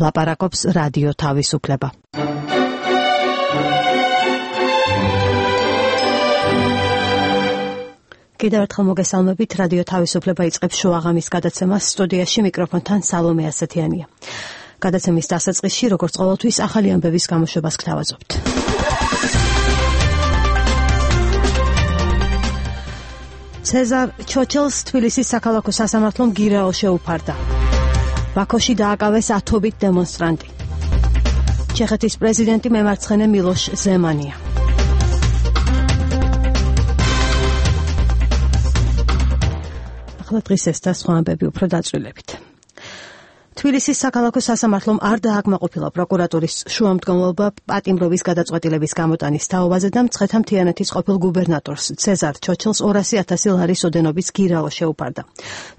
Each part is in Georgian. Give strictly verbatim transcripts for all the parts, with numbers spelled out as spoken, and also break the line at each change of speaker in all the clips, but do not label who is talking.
ლაპარაკობს რადიო თავისუფლება. კიდევ ერთხელ მოგესალმებით, რადიო თავისუფლება იწყებს შოაღამის გადაცემას, სტუდიაში მიკროფონთან სალომე ასათიანია. გადაცემის დასაწყისში, როგორც ყოველთვის, ახალი ამბების გამოშვებას გთავაზობთ. ცეზარ ჩოჩელს თბილისის საქალაქო სასამართლომ გირაო შეუფარდა. ბაქოში დააკავეს ათობით დემონსტრანტი. ჩეხეთის პრეზიდენტი მემარცხენე მილოშ ზემანია. ახლა დღის ეს და სხვა ამბები უფრო დაწვრილებით. თბილისის საქალაქო სასამართლომ არ დააკმაყოფილა პროკურატურის შუამდგომლობა პატიმრობის გადაწყვეტილების გამოტანის თაობაზე და მცხეთა მთიანეთის ყოფილ გუბერნატორს ცეზარ ჩოჩელს ორასი ათასი ლარის ოდენობის გირაო შეუფარდა.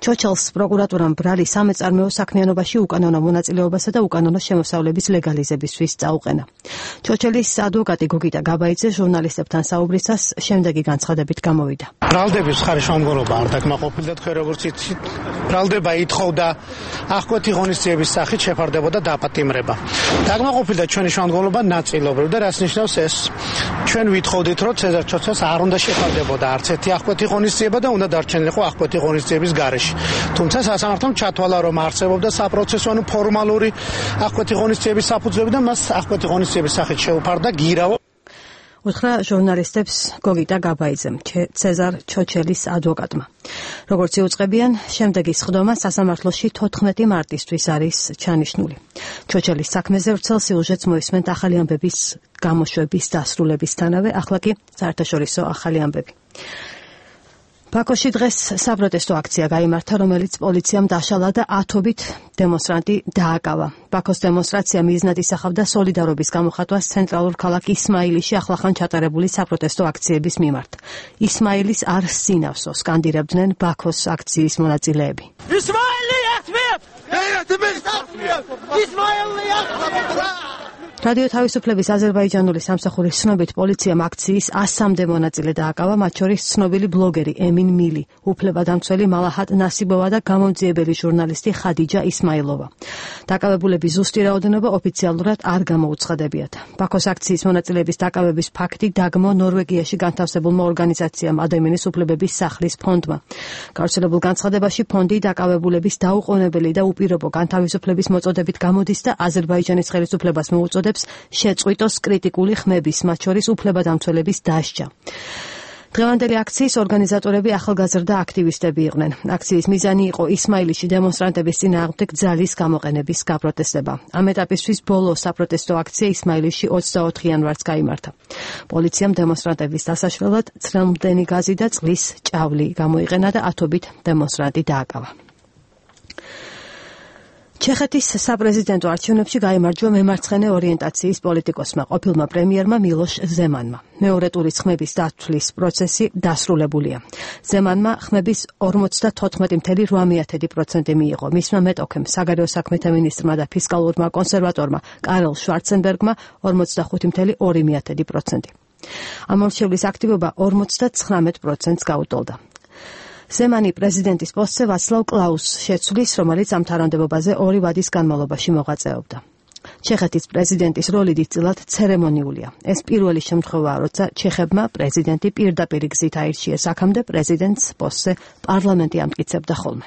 ჩოჩელს პროკურატურამ ბრალი სამეწარმეო საქმიანობაში უკანონო მონაწილეობასა და უკანონო შემოსავლების ლეგალიზებისთვის წაუყენა. ჩოჩელის ადვოკატი გოგიტა გაბაიძე ჟურნალისტებთან საუბრისას შემდეგი განცხადებით გამოვიდა.
ბრალდების ხარშემდგომლობა არ დაკმაყოფილდა, თქვენ როგორც იცით, ბრალდება ითხოვდა აღკვეთი ღონისძიების სახით შეფარდებოდა დაპატიმრება. დაკმაყოფილდა ჩვენი შემდგომლობა ნაწილობრივ და რას ნიშნავს ეს? ჩვენ ვითხოვდით, რომ ცეზარ ჩოჩელს არ უნდა შეფარდებოდა არც ერთი აღკვეთი ღონისძიება და უნდა დარჩენილიყო აღკვეთი ღონისძიების გარეშე. თუმცა სასამართლომ ჩათვალა, რომ არსებობდა საპროცესო ანუ ფორმალური აღკვეთი ღონისძიების საფუძვლები და მას აღკვეთი ღონისძიების სახით შეუფარდა გირაო.
უთხრა ჟურნალისტებს გოგიტა გაბაიძემ, ცეზარ ჩოჩელის ადვოკატმა. როგორც იუწყებიან, შემდეგი სხდომა სასამართლოში თოთხმეტი მარტისთვის არის ჩანიშნული. ჩოჩელის საქმეზე ვრცელ სიუჟეტს მოისმენთ ახალი ამბების გამოშვების დასრულებისთანავე, ახლა კი საერთაშორისო ახალი ამბები. ბაქოში დღეს საპროტესტო აქცია გაიმართა, რომელიც პოლიციამ დაშალა და ათობით დემონსტრანტი დააკავა. ბაქოს დემონსტრაცია მიზნად ისახავდა სოლიდარობის გამოხატვას ცენტრალურ ქალაქ ისმაილიში ახლახან ჩატარებული საპროტესტო აქციების მიმართ. ისმაილის არ სინავსო სკანდირებდნენ ბაქოს აქციის მონაწილეები.
ისმაილი ათმიებ! ისმაილი ათმიებ!
რადიო თავისუფლების აზერბაიჯანული სამსახურის ცნობით პოლიციამ აქციის ასამდე მონაწილე დააკავა, მათ შორის ცნობილი ბლოგერი ემინ მილი, უფლებადამცველი მალაჰატ ნასიბოვა და გამომძიებელი ჟურნალისტი ხადიჯა ისმაილოვა. დაკავებულების ზუსტი რაოდენობა ოფიციალურად არ გამოუცხადებიათ. ბაქოს აქციის მონაწილეების დაკავების ფაქტი დაგმო ნორვეგიაში განთავსებულმა ორგანიზაციამ ადამიანის უფლებების სახლის ფონდმა. გავრცელებულ განცხადებაში ფონდი დაკავებულების დაუყოვნებელი და უპირობო განთავისუფლების მოწოდებით გამოდის და აზერბაიჯანის ხელისუფლებას მოუწოდებს შეწყვიტოს კრიტიკული ხმების, მათ შორის უფლებადამცველების დასჯა. დღევანდელი აქციის ორგანიზატორები ახალგაზრდა აქტივისტები იყვნენ. აქციის მიზანი იყო ისმაილიში დემონსტრანტების წინააღმდეგ ძალის გამოყენების გაპროტესტება. ამ ეტაპისთვის ბოლო საპროტესტო აქცია ისმაილიში ოცდაოთხ იანვარს გაიმართა. პოლიციამ დემონსტრანტების დასაშლელად ცრემლმდენი გაზი და წყლის ჭავლი გამოიყენა და ათობით დემონსტრანტი დააკავა. ჩეხეთის საპრეზიდენტო არჩევნებში გაიმარჯვა მემარცხენე ორიენტაციის პოლიტიკოსმა, ყოფილმა პრემიერმა მილოშ ზემანმა. მეორე ტურის ხმების დათვლის პროცესი დასრულებულია. ზემანმა ხმების ორმოცდათოთხმეტი კoma ოთხ პროცენტი მიიღო. მისმა მეტოქემ, საგარეო საქმეთა მინისტრმა და ფისკალურმა კონსერვატორმა კარლ შვარცენბერგმა ორმოცდახუთი კoma ორი პროცენტი. ამ ორჩევლის აქტივობა ორმოცდათხრამეტ პროცენტს გაუტოლდა. ზემანი პრეზიდენტის პოსტზე ვაცლავ კლაუსს შეცვლის, რომელიც ამ თანამდებობაზე ორი ვადის განმავლობაში მოღვაწეობდა. ჩეხეთის პრეზიდენტის როლი დიდწილად ცერემონიულია. ეს პირველი შემთხვევაა, როცა ჩეხებმა პრეზიდენტი პირდაპირ გზით აირჩიეს, აქამდე პრეზიდენტს პოსტზე პარლამენტი ამტკიცებდა ხოლმე.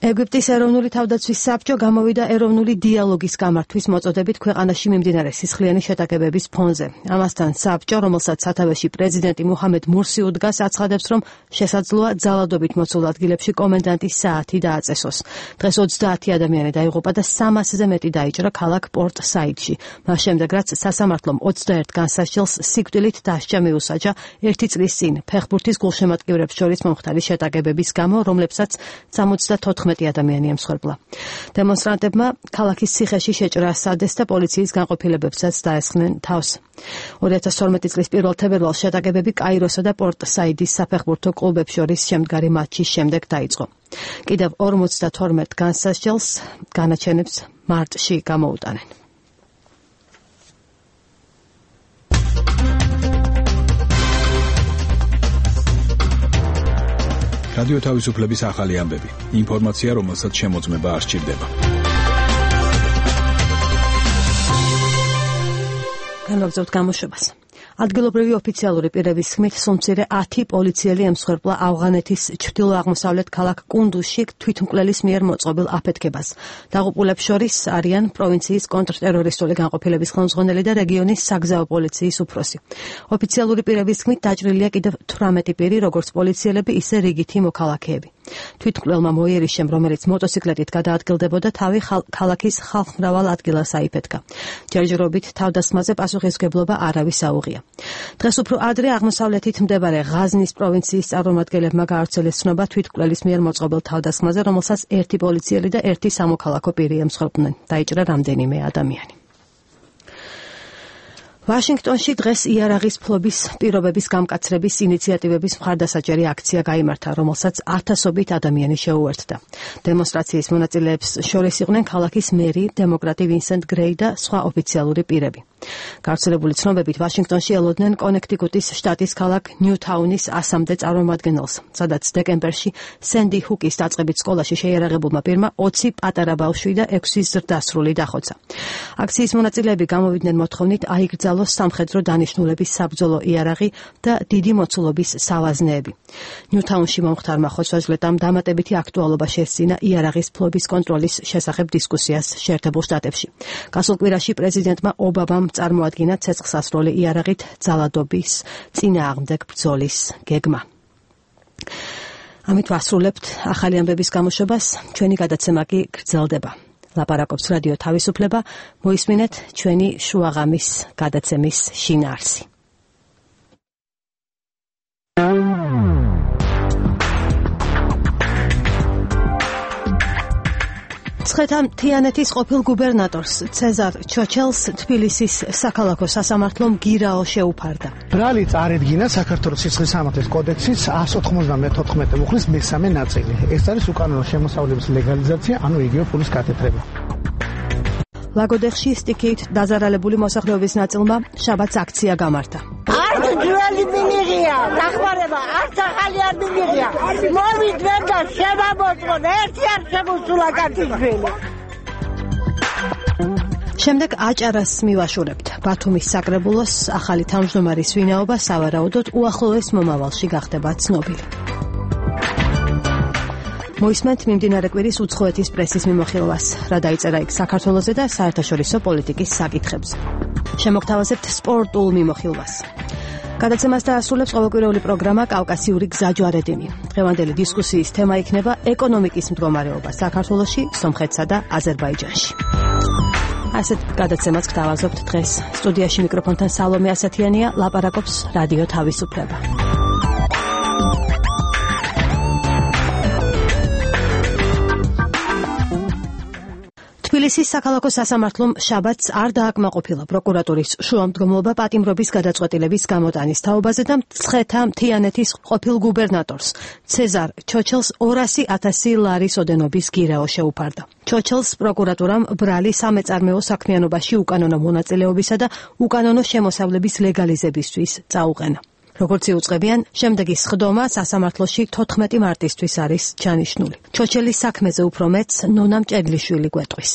ეგვიპტის ეროვნული თავდაცვის საბჭო გამოვიდა ეროვნული დიალოგის გამართვის მოწოდებით ქვეყანაში მიმდინარე სისხლიანი შეტაკებების ფონზე. ამასთან საბჭო, რომელსაც სათავეში პრეზიდენტი მუჰამედ მურსი უდგას, აცხადებს, რომ შესაძლოა ძალადობით მოცულ ადგილებში კომენდანტის საათი დააწესოს. დღეს ოცდაათი ადამიანი დაიღუპა და სამასზე მეტი დაიჭრა ქალაქ პორტ საიდში. მას შემდეგ, რაც სასამართლომ ოცდაერთ განსასჯელს სიკვდილით დასჯა მიუსაჯა ერთი წლის წინ ფეხბურთის გულშემატკივრებს შორის მომხდარი შეტაკებების გამო, რომლებსაც სამოცდათოთხმეტი ადამიანი ემსხვერპლა. დემონსტრანტებმა ქალაქის ციხეში შეჭრა სადეს და პოლიციის განყოფილებებსაც დაესხნენ თავს. ორი ათას თორმეტი წლის პირველ თებერვალს შეტაკებები კაიროსა და პორტ საიდის საფეხბურთო კლუბებს შორის შემდგარი მატჩის შემდეგ დაიწყო. კიდევ ორმოცდათორმეტ განსასჯელს განაჩენებს მარტში გამოუტანენ.
რადიო თავისუფლების ახალი ამბები. ინფორმაცია, რომელსაც შემოწმება არ სჭირდება.
განვაგრძობთ გამოშვებას. ადგილობრივი ოფიციალური პირების თქმით, სულ ათი პოლიციელი ემსხვერპლა ავღანეთის ჩრდილო-აღმოსავლეთ ქალაქ კუნდუზში თვითმკვლელის მიერ მოწყობილ აფეთქებას. დაღუპულებს შორის არიან პროვინციის კონტრტერორისტული განყოფილების ხელმძღვანელი და რეგიონის საგზაო პოლიციის უფროსი. ოფიციალური პირების თქმით, დაჭრილია კიდევ თვრამეტი პირი, როგორც პოლიციელები, ისე რიგითი მოქალაქეები. თვითმკვლელმა მოიერიშემ, რომელიც მოტოციკლეტით გადაადგილდებოდა, თავი ქალაქის ხალხმრავალ ადგილას აიფეთქა. ჯერჯერობით თავდასხმაზე პასუხისმგებლობა არავის აუღია. დღეს უფრო ადრე აღმოსავლეთით მდებარე ღაზნის პროვინციის წარმომადგენლებმა გაავრცელეს ცნობა თვითმკვლელის მიერ მოწყობილ თავდასხმაზე, რომელსაც ერთი პოლიციელი და ერთი სამოქალაქო პირი ემსხვერპლნენ. დაიჭრა რამდენიმე ადამიანი. ვაშინგტონში დღეს იარაღის ფლობის პირობების გამკაცრების ინიციატივების მხარდასაჭერი აქცია გაიმართა, რომელსაც ათასობით ადამიანი შეუერთდა. დემონსტრაციის მონაწილეებს შორის იყვნენ ქალაქის მერი, დემოკრატი ვინსენტ გრეი და სხვა ოფიციალური პირები. გავრცელებული ცნობებით ვაშინგტონში ელოდნენ კონექტიკუტის შტატის ქალაქ ნიუთაუნის ასამდე წარმომადგენელს, სადაც დეკემბერში სენდი ჰუკის დაწყებით სკოლაში შეიარაღებულმა პირმა ოცი პატარა ბავშვი და ექვსი ზრდასრული დახოცა. აქციის მონაწილეები გამოვიდნენ მოთხოვნით აიგრძალოს სამხედრო დანიშნულების საბრძოლო იარაღი და დიდი მოცულობის სავაზნეები. ნიუთაუნში მომხდარმა ხოცვა-ჟლეტამ დამატებითი აქტუალობა შესძინა იარაღის ფლობის კონტროლის შესახებ დისკუსიას შეერთებულ შტატებში. გასულ კვირაში პრეზიდენტმა ობამამ წარმოადგინა ცეცხლსასროლი იარაღით ძალადობის წინააღმდეგ ბრძოლის გეგმა. ამით ვასრულებთ ახალი ამბების გამოშვებას, ჩვენი გადაცემა კი გრძელდება. ლაპარაკობს რადიო თავისუფლება, მოისმინეთ ჩვენი შუაღამის გადაცემის შინაარსი. ცხეთა მთიანეთის ყოფილ გუბერნატორს ცეზარ ჩოჩელს თბილისის საქალაქო სასამართლომ გირაო შეუფარდა.
ბრალი წარედგინა საქართველოს სისხლის სამართლის კოდექსის εκατს ოცდაოთხმეტ მუხლის მესამე ნაწილი. ეს არის უკანონო შემოსავლების ლეგალიზაცია, ანუ იგივე ფულის გათეთრება.
ლაგოდეხში სტიქით დაზარალებული მოსახლეობის ნაწილმა შაბათს აქცია გამართა.
არც ძველი მინიღია, დახმარება, არც ახალი არ მინიღია. მოვიდნენ და შემამოწმონ, ერთი არ შემოსულა კაცისშვილი.
შემდეგ აჭარას მივაშურებთ. ბათუმის საკრებულოს ახალი თავმჯდომარის ვინაობა სავარაუდოდ უახლოეს მომავალში გახდება ცნობილი. მოისმენთ მიმდინარე კვირის უცხოეთის პრესის მიმოხილვას, რა დაიწერა იქ საქართველოზე და საერთაშორისო პოლიტიკის საკითხებზე. შემოგთავაზებთ სპორტულ მიმოხილვას. გადაცემას დაასრულებს ყოველკვირეული პროგრამა კავკასიური გზაჯვარედინი. დღევანდელი დისკუსიის თემა იქნება ეკონომიკის მდგომარეობა საქართველოში, სომხეთსა და აზერბაიჯანში. ასეთ გადაცემას გთავაზობთ დღეს. სტუდიაში მიკროფონთან სალომე ასათიანია, ლაპარაკობს რადიო თავისუფლება. თბილისის საქალაქო სასამართლომ შაბათს არ დააკმაყოფილა პროკურატურის შუამდგომლობა პატიმრობის გადაწყვეტილების გამოტანის თაობაზე და ცხეთა მთიანეთის ყოფილ გუბერნატორს ცეზარ ჩოჩელს ორასი ათასი ლარის ოდენობის გირაო შეუფარდა. ჩოჩელს პროკურატურამ ბრალი სამეწარმეო საქმიანობაში უკანონო მონაწილეობისა და უკანონო შემოსავლების ლეგალიზებისთვის წაუყენა. როგორც იუწყებიან, შემდეგი სხდომა სასამართლოში თოთხმეტი მარტისთვის არის ჩანიშნული. ჩოჩელის საქმეზე უფრო მეტს ნონა მჭედლიშვილი გვეტყვის.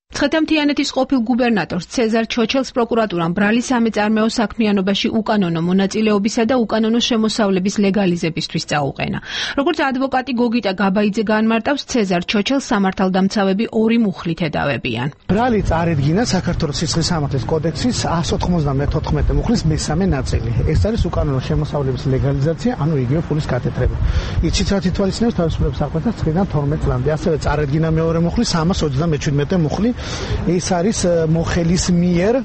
ცხეთა მთიანეთის ყოფილ გუბერნატორს ცეზარ ჩოჩელს პროკურატურამ ბრალი სამეწარმეო საქმიანობაში უკანონო მონაწილეობისა და უკანონო შემოსავლების ლეგალიზებისთვის წაუყენა. როგორც ადვოკატი გოგიტა გაბაიძე განმარტავს, ცეზარ ჩოჩელს სამართალდამცავები ორი მუხლით ედავებიან.
ბრალი წარედგინა საქართველოს სისხლის სამართლის კოდექსის εκατს ოცდაოთხმეტ მუხლის მესამე ნაწილი. ეს არის უკანონო შემოსავლების ლეგალიზაცია, ანუ იგივე ფულის გათეთრება. იცით რა თითვალისწინებს თავისუფლების საქმეთა ცხრიდან თორმეტ წლამდე. ასევე წარედგინა მეორე მუხლი სამას ოცდამეჩვიდმეტე მუხლი. ეს არის მოხელის მიერ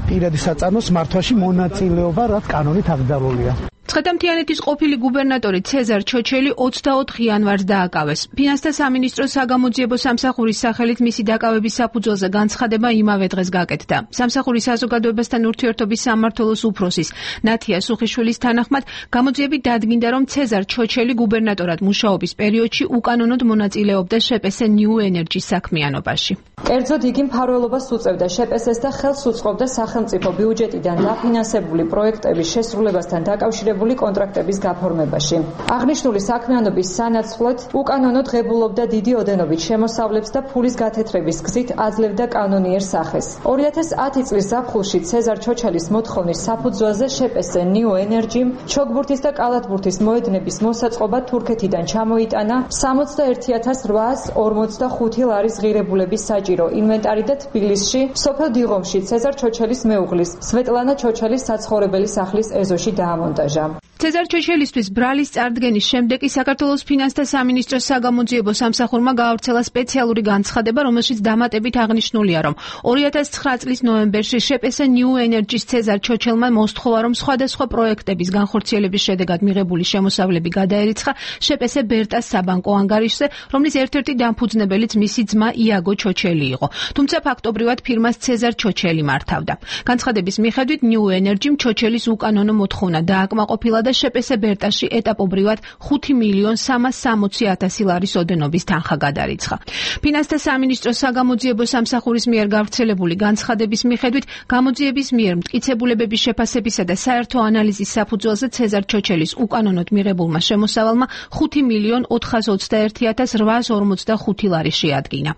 პირადი საწარმოს მართვაში მონაწილეობა, რაც კანონით აკრძალულია.
ცხეთა მთიანეთის ყოფილი გუბერნატორი ცეზარ ჩოჩელი ოცდაოთხ იანვარს დააკავეს. ფინანსთა სამინისტროს საგამოძიებო სამსახურის სახელით მისი დაკავების საფუძველზე განცხადება იმავე დღეს გაკეთდა. სამსახურის საზოგადოებასთან ურთიერთობის სამმართველოს უფროსის ნათია სუხიშვილის თანახმად, გამოძიებით დადგინდა, რომ ცეზარ ჩოჩელი გუბერნატორად მუშაობის პერიოდში უკანონოდ მონაწილეობდა შეპესე ნიუ ენერჯის საქმიანობაში.
კერძოდ იგი მფარველობას უწევდა შეპესეს და ხელს უწყობდა სახელმწიფო ბიუჯეტიდან დაფინანსებული პროექტების შესრულებასთან დაკავშირებული დანიშნული კონტრაქტების გაფორმებაში. აღნიშნული საქმიანობის სანაცვლოდ უკანონო ღებულობდა დიდი ოდენობით შემოსავლებს და ფულის გათეთრების გზით აძლევდა კანონიერ სახეს. ორი ათას ათი წლის ზაფხულში ცეზარ ჩოჩალის მოთხოვნის საფუძველზე შეპესე New Energy-მ ჩოგბურთის და კალათბურთის მოედნების მოსაწყობა თურქეთიდან ჩამოიტანა სამოცდაერთი ათას რვაას ორმოცდახუთი ლარის ღირებულების საჭირო ინვენტარი და თბილისში, სოფელ დიღომში ცეზარ ჩოჩალის მეუღლის სვეტლანა ჩოჩალის საცხოვრებელი სახლის ეზოში დაამონტაჟა.
ცეზარ ჩოჩელისთვის ბრალის წარდგენის შემდეგ საქართველოს ფინანსთა სამინისტროს საგამოძიებო სამსახურმა გაავრცელა სპეციალური განცხადება, რომელშიც დამატებით აღნიშნულია, რომ ორი ათას ცხრა წლის ნოემბერში შეპესე New Energy-ს ცეზარ ჩოჩელმა მოსთხოვა, რომ სხვადასხვა პროექტების განხორციელების შედეგად მიღებული შემოსავლები გადაერიცხა შეპესე ბერტას საბანკო ანგარიშზე, რომლის ერთ-ერთი დამფუძნებელიც მისი ძმა იაგო ჩოჩელი იყო. თუმცა ფაქტობრივად ფირმას ცეზარ ჩოჩელი მართავდა. განცხადების მიხედვით New Energy-მ ჩოჩელის უკანონო მოთხოვნა დააკმაყოფილა და შეპესე ბერტაში ეტაპობრივად ხუთი მილიონ სამას სამოცი ათასი ლარის ოდენობის თანხა გადარიცხა. ფინანსთა სამინისტროს საგამოძიებო სამსახურის მიერ გავრცელებული განცხადების მიხედვით გამოძიების მიერ მტკიცებულებების შეფასებისა და საერთო ანალიზის საფუძველზე ცეზარ ჩოჩელის უკანონოდ მიღებულმა შემოსავალმა ხუთი მილიონ ოთხას ოცდაერთი ათას რვაას ორმოცდახუთი ლარი შეადგინა.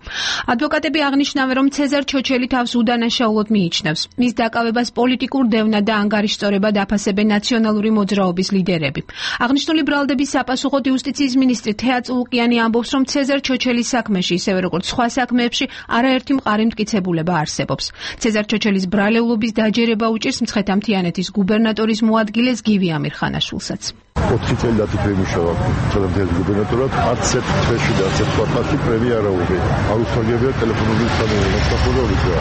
ადვოკატები აღნიშნავენ, რომ ცეზარ ჩოჩელი თავს უდანაშაულოდ მიიჩნევს. მის დაკავებას პოლიტიკურ დევნა და ანგარიშწორება დაფასებენ ნაციონალური მოძრაობის ლიდერები. აღნიშნული ბრალდების საპასუხოდ იუსტიციის მინისტრი თეა წულუკიანი ამბობს, რომ ცეზარ ჩოჩელის საქმეში, ისევე როგორც სხვა საქმეებში, არაერთი მყარი მტკიცებულება არსებობს. ცეზარ ჩოჩელის ბრალეულობის დაჯერება უჭირს მცხეთა-მთიანეთის გუბერნატორის მოადგილეს გივი ამირხანაშვილსაც.
ოთხი წელი დათითრე მუშაობა მცხეთა-მთიანეთის გუბერნატორად, არც ერთ თვეში და არც ერთ კვარტალში პრემია არ აუღია. არ უსწორებია ტელეფონური მოსახლეობის და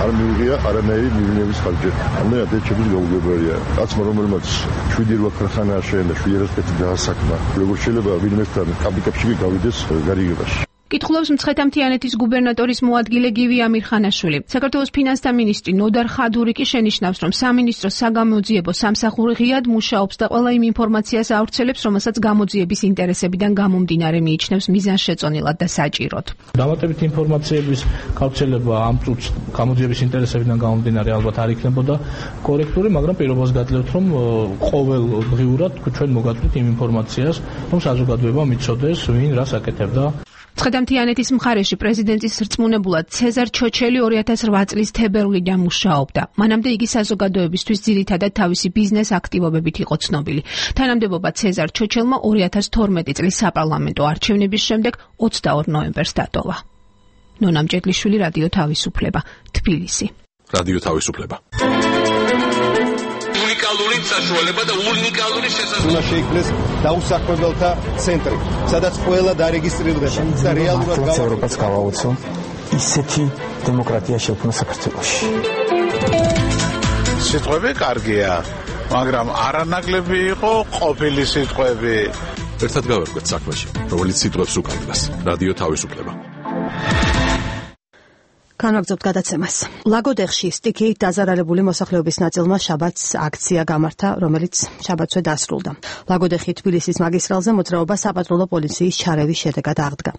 არ მიუღია არანაირი მივლინების ხარჯი. ამე ადეჩების გაუგებარია. კაცმა რომელმაც შვიდი რვა ქარხანა აშენდა, შვიდი რასპეთი დაასახმა. როგორ შეიძლება ვინმესთან კაპიკებში გავიდეს გარიგებაში.
კითხულობს მცხეთა-მთიანეთის გუბერნატორის მოადგილე გივი ამირხანაშვილი. საქართველოს ფინანსთა მინისტრი ნოდარ ხადური კი შენიშნავს, რომ სამინისტროს საგამოძიებო სამსახური ღიად მუშაობს და ყველა იმ ინფორმაციას ავრცელებს, რომელსაც გამოძიების ინტერესებიდან გამომდინარე მიიჩნევს მიზანშეწონილად და საჭიროდ.
დამატებით ინფორმაციების გავრცელება ამ წუთს გამოძიების ინტერესებიდან გამომდინარე ალბათ არ იქნებოდა კორექტული, მაგრამ პირობას გაძლევთ, რომ ყოველდღიურად ჩვენ მოგაწვით იმ ინფორმაციას, რომ საზოგადოება მიცოდეს, ვინ რას აკეთებდა.
მცხეთა-მთიანეთის მხარეში პრეზიდენტის რწმუნებულად ცეზარ ჩოჩელი ორი ათას რვა წლის თებერვლიდან მუშაობდა. მანამდე იგი საზოგადოებისთვის ძირითადად თავისი ბიზნეს აქტივობებით იყო ცნობილი. თანამდებობა ცეზარ ჩოჩელმა ორი ათას თორმეტი წლის საპარლამენტო არჩევნების შემდეგ ოცდაორ ნოემბერს დატოვა. ნონა მჭედლიშვილი, რადიო თავისუფლება, თბილისი.
რადიო თავისუფლება.
უნიკალური საშუალება და უნიკალური შესაძლებლობა.
უნდა შეიქმნეს დაუსახლებელთა ცენტრი, სადაც ყველა დარეგისტრირდება და რეალურად
გავაუწყოთ გავაუწყო ისეთი დემოკრატია შექმნა საქართველოში.
სიტყვები კარგია, მაგრამ არანაკლები იყო ყოფილი სიტყვები.
ერთად გავერკვეთ საქმეში, რომელიც სიტყვებს უკავშირდება. რადიო თავისუფლება.
განვაგრძობთ გადაცემას. ლაგოდეხში სტიქიით დაზარალებული მოსახლეობის ნაწილმა შაბათს აქცია გამართა, რომელიც შაბათსვე დასრულდა. ლაგოდეხი თბილისის მაგისტრალზე მოძრაობა საპატრულო პოლიციის ჩარევის შედეგად აღდგა.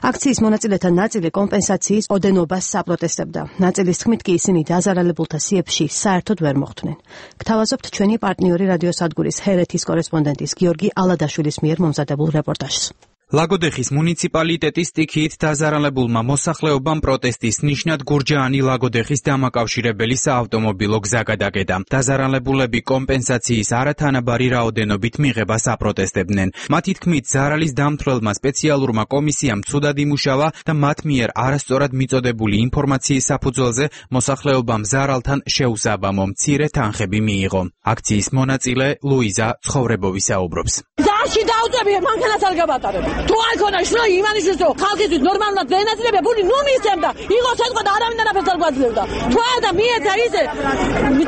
აქციის მონაწილეთა ნაწილი კომპენსაციის ოდენობას საპროტესტებდა. ნაწილის თქმით კი ისინი დაზარალებულთა სიებში საერთოდ ვერ მოხვდნენ. გთავაზობთ ჩვენი პარტნიორი რადიოსადგურის ჰერეთის კორესპონდენტის გიორგი ალადაშვილის მიერ მომზადებულ რეპორტაჟს.
ლაგოდეხის მუნიციპალიტეტის სტიქიით დაზარალებულმა მოსახლეობამ პროტესტის ნიშნად გურჯაანი ლაგოდეხის დამაკავშირებელი საავტომობილო გზა გადაკეტა. დაზარალებულები კომპენსაციის არათანაბარი რაოდენობით მიღებას აპროტესტებდნენ. მათი თქმით, ზარალის დამთვრელმა სპეციალურმა კომისიამ ცუდად იმუშავა და მათ მიერ არასწორად მიწოდებული ინფორმაციის საფუძველზე მოსახლეობამ ზარალთან შეუსაბამო მცირე თანხები მიიღო. აქციის მონაწილე ლუიზა ცხოვრებოვი საუბრობს.
ზაში დაუწებია მანქანას არ გავატარებ. თუ არ ქონა შროი იმანიშვილს რომ ხალხისთვის ნორმალურად დაენაწილებია ფული ნუ მისცემდა იყო შეთქვა და არავინ არაფერს არ გვაძლევდა თუ არა მიეცა ისე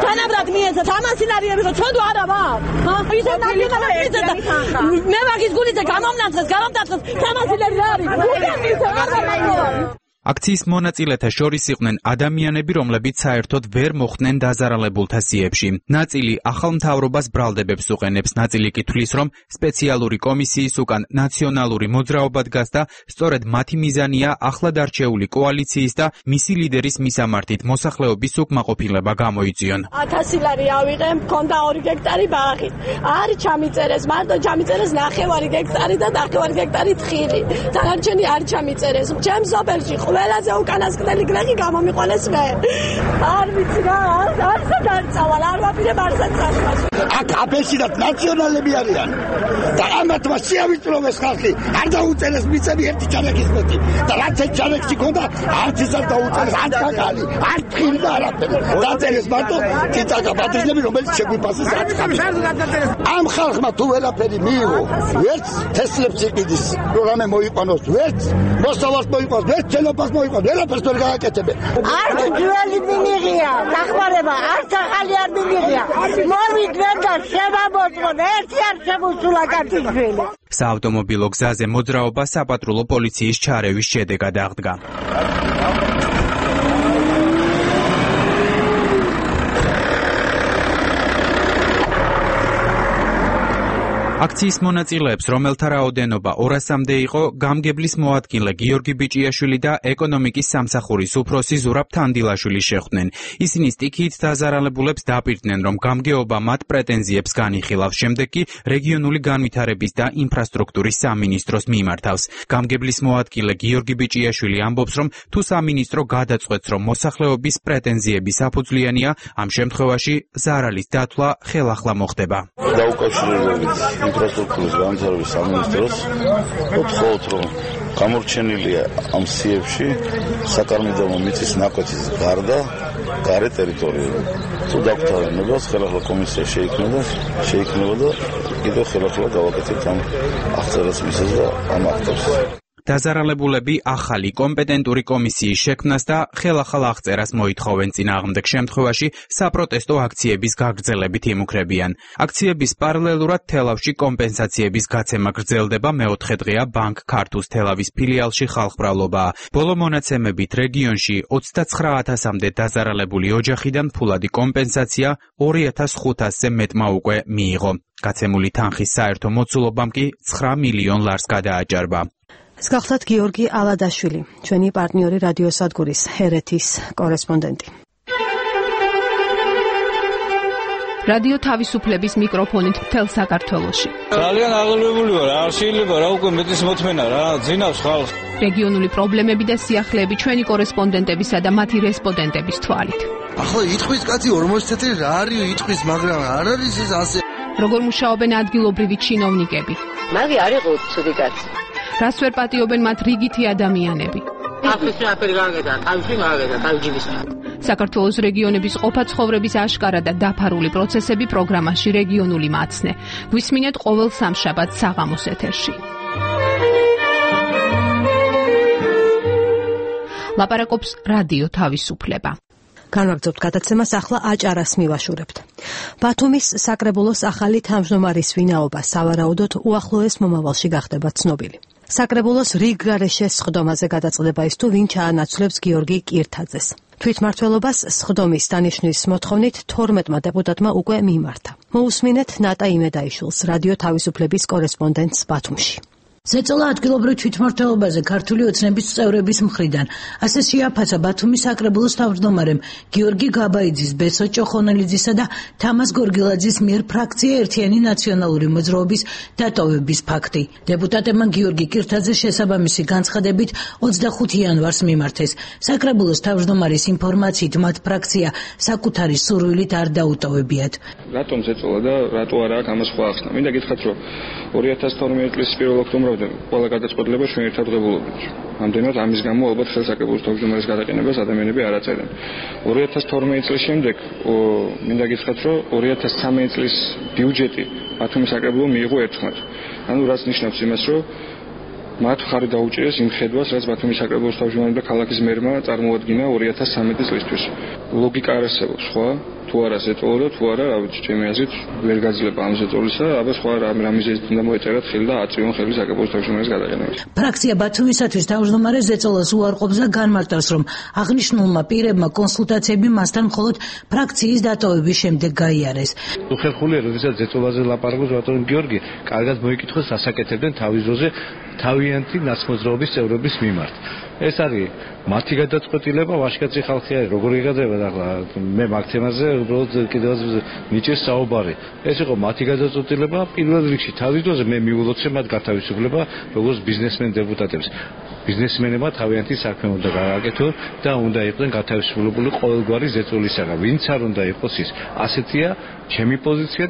თანაბრად მიეცა სამასინარიები რომ ჩვენ თუ არა ვარ ჰა ისე ნაკლებად მიეცა მე მაგის გულიზე გამომნაცხეს გამომტაცხეს სამასინარი რა არის უკან მისცემ არ გამომნაცხეს
აქციის მონაწილეთა შორის იყვნენ ადამიანები, რომლებიც საერთოდ ვერ მოხვდნენ დაზარალებულთა სიებში. ნაწილი ახალ მთავრობას ბრალდებებს უყენებს, ნაწილი კი თვლის, რომ სპეციალური კომისიის უკან ნაციონალური მოძრაობა დგას და სწორედ მათი მიზანია ახლად არჩეული კოალიციის და მისი ლიდერის მისამართით მოსახლეობის უკმაყოფილება გამოიწვიონ.
ათასი ლარი ავიღე, მქონდა ორი გექტარი ბაღი. არ ჩამიწერეს, მარტო ჩამიწერეს ნახევარი გექტარი და ნახევარი გექტარი თხილი. დანარჩენი არ ჩამიწერეს. ჩემს ოფელში ყველაზე უკანასკნელი გლეხი გამომიყოლეს მე. არ ვიცი რა, არც არ წავალ, არ ვაპირებ არცად წასვლას.
აქ აბესიდან ნაციონალები არიან. და ამათმა შეავიწროვეს ხალხი. არ დაუწერეს მიწები ერთი ჯანექის მეტი. და რაც ეს ჯანექში ქონდა, არც ის არ დაუწერეს, არც კაკალი, არც თხილი და არაფერი. დაწერეს მარტო ციტაკა პატრიზნები, რომელიც შეგვიფასეს აწყამში. ამ ხალხმა თუ ვერაფერი მიიღო, ვერც თესლებს იყიდის, პროგრამა მოიყვანოს, ვერც მოსავალს მოიყვანოს, ვერც შენობას მოიყვანოს, ვერაფერს ვერ გააკეთებენ.
არც ძველი მინიღია, დახმარება, არც ახალი არ მინიღია. მოვიდნენ და შემამოწმონ, ერთი არ შემოსულა კაცისვილი.
საავტომობილო გზაზე მოძრაობა საპატრულო პოლიციის ჩარევის შედეგად აღდგა. აქციის მონაწილეებს, რომელთა რაოდენობა ორასამდე იყო, გამგებლის მოადგილე გიორგი ბიჭიაშვილი და ეკონომიკის სამსახურის უფროსი ზურაბ თანდილაშვილი შეხვდნენ. ისინი სტიქიით დაზარალებულებს დაპირდნენ, რომ გამგეობა მათ პრეტენზიებს განიხილავს, შემდეგ კი რეგიონული განვითარების და ინფრასტრუქტურის სამინისტროს მიმართავს. გამგებლის მოადგილე გიორგი ბიჭიაშვილი ამბობს, რომ თუ სამინისტრო გადაწყვეტს, რომ მოსახლეობის პრეტენზიები საფუძვლიანია, ამ შემთხვევაში ზარალის დათვლა ხელახლა მოხდება.
დაუკავშირებლობით ინფრასტრუქტურის განვითარების სამინისტროს ვთხოვთ, რომ გამორჩენილია ამ სიებში საკარმიდამო მიწის ნაკვეთის გარდა გარე ტერიტორია. თუ დაგვთავაზებთ, ხელახლა კომისია შეიქმნება, შეიქმნება და კიდევ ხელახლა გავაკეთებთ ამ აღწერას მისას და ამ აქტებს.
დაზარალებულები ახალი კომპეტენტური კომისიის შექმნას და ხელახალ აღწერას მოითხოვენ, წინააღმდეგ შემთხვევაში საპროტესტო აქციების გაგრძელებით იმუქრებიან. აქციების პარალელურად თელავში კომპენსაციების გაცემა გრძელდება, მეოთხე დღეა ბანკ ქართუს თელავის ფილიალში ხალხმრავლობაა. ბოლო მონაცემებით რეგიონში ოცდაცხრა ათასამდე დაზარალებული ოჯახიდან ფულადი კომპენსაცია ორი ათას ხუთასზე მეტმა უკვე მიიღო. გაცემული თანხის საერთო მოცულობამ კი ცხრა მილიონ ლარს გადააჭარბა.
ეს გახლავთ გიორგი ალადაშვილი, ჩვენი პარტნიორი რადიოსადგურის ჰერეთის კორესპონდენტი.
რადიო თავისუფლების მიკროფონით მთელ საქართველოში.
ძალიან აღელვებული ვარ, არ შეიძლება რა უკვე მეტის მოთმენა რა, ძინავს ხალხს.
რეგიონული პრობლემები და სიახლეები ჩვენი კორესპონდენტებისა და მათი რესპონდენტების თვალით.
ახლა იტყვის კაცი ორმოცი წელი რა არის იტყვის, მაგრამ არ არის ეს ასე.
როგორ მუშაობენ ადგილობრივი ჩინოვნიკები?
მაგი არ იყო ცუდი კაცი.
რას ვერ პატიობენ მათ რიგითი ადამიანები?
ახლა აფერი გაგედა, თავში გაგედა, თავჯიბის.
საქართველოს რეგიონების ყოფა ცხოვრების აშკარა და დაფარული პროცესები პროგრამაში რეგიონული მაცნე. გვისმინეთ ყოველ სამშაბათს საღამოს ეთერში. ლაპარაკობს რადიო თავისუფლება.
განვაგრძობთ გადაცემას, ახლა აჭარას მივაშურებთ. ბათუმის საკრებულოს ახალი თავმჯდომარის ვინაობა სავარაუდოდ უახლოეს მომავალში გახდება ცნობილი. საკრებულოს რიგ გარეშე სხდომაზე გადაწყდება ის თუ ვინ ჩაანაცვლებს გიორგი კირთაძეს. თვითმმართველობას სხდომის დანიშვნის მოთხოვნით თორმეტმა დეპუტატმა უკვე მიმართა. მოусმინეთ ნატა იმედაიშვილს, რადიო თავისუფლების კორესპონდენტს ბათუმში.
ზეწოლა ადგილობრივ თვითმმართველობაზე ქართული ოცნების წევრების მხრიდან. ასე შეაფასა ბათუმის საკრებულოს თავმჯდომარემ გიორგი გაბაიძის, ბესო ჭოხონელიძისა და თამას გორგილაძის მიერ ფრაქცია ერთიანი ნაციონალური მოძრაობის დატოვების ფაქტი. დეპუტატებმა გიორგი კირთაძეს შესაბამისი განცხადებით ოცდახუთი იანვარს მიმართეს. საკრებულოს თავმჯდომარის ინფორმაციით მათ ფრაქცია საკუთარი სურვილით არ დაუტოვებიათ.
რატომ ზეწოლა და რატო არა აქ ამას სხვა ახსნა? მინდა გითხრათ, რომ ორი ათას თორმეტი წლის პირველ ოქტომბერში ყველა გადაწყვეტილება ჩვენ ერთად ვღებულობთ. ამდენად ამის გამო ალბათ ხელსაკრებულოს თავმჯდომარის გადაყენებას ადამიანები არ აწერენ. ორი ათას თორმეტი წლის შემდეგ მინდა გითხრათ, რომ ორი ათას ცხრამეტი წლის ბიუჯეტი ბათუმის საკრებულომ მიიღო ერთხმად. ანუ რაც ნიშნავს იმას, რომ მათ ხარი დაუჭირეს იმ ხედვას, რაც ბათუმის საკრებულოს თავმჯდომარემ და ქალაქის მერმა წარმოადგინა ორი ათას ცხრამეტი წლისთვის. ლოგიკა არ არსებობს, ხო? თუ არა ზეწოლა და თუ არა, რა ვიცი, ჩემი აზრით ვერ გაძლება ამ ზეწოლისა, აბა სხვა რამიზეზით უნდა მოეწერათ ხელი და აწვიონ ხელი საკრებულოს თავმჯდომარის გადაყენებას.
ფრაქცია ბათუმისათვის თავმჯდომარე ზეწოლას უარყოფს და განმარტავს, რომ აღნიშნულმა პირებმა კონსულტაციები მასთან მხოლოდ ფრაქციის დატოვების შემდეგ გაიარეს.
თუ ხერხულია, როდესაც ზეწოლაზე ლაპარაკობს ბატონი გიორგი, კარგად მოიკითხოს, ასაკეთებდნენ თავის ძროზე თავიანთი ნაცმოძრაობის წევრების მიმართ. ეს არის მათი გადაწყვეტილება, ვაჟკაცი ხალხი არის, როგორ იღადება და მე მაგ თემაზე უბრალოდ კიდევაც მიჭირს საუბარი. ეს იყო მათი გადაწყვეტილება, პირველ რიგში თავის დროზე მე მიულოცე მათ გათავისუფლება, როგორც ბიზნესმენ დეპუტატებს. ბიზნესმენებმა თავიანთი საქმე უნდა გააკეთონ და უნდა იყვნენ გათავისუფლებული ყოველგვარი ზეწოლისაგან. ვინც არ უნდა იყოს ის. ასეთია ჩემი პოზიცია.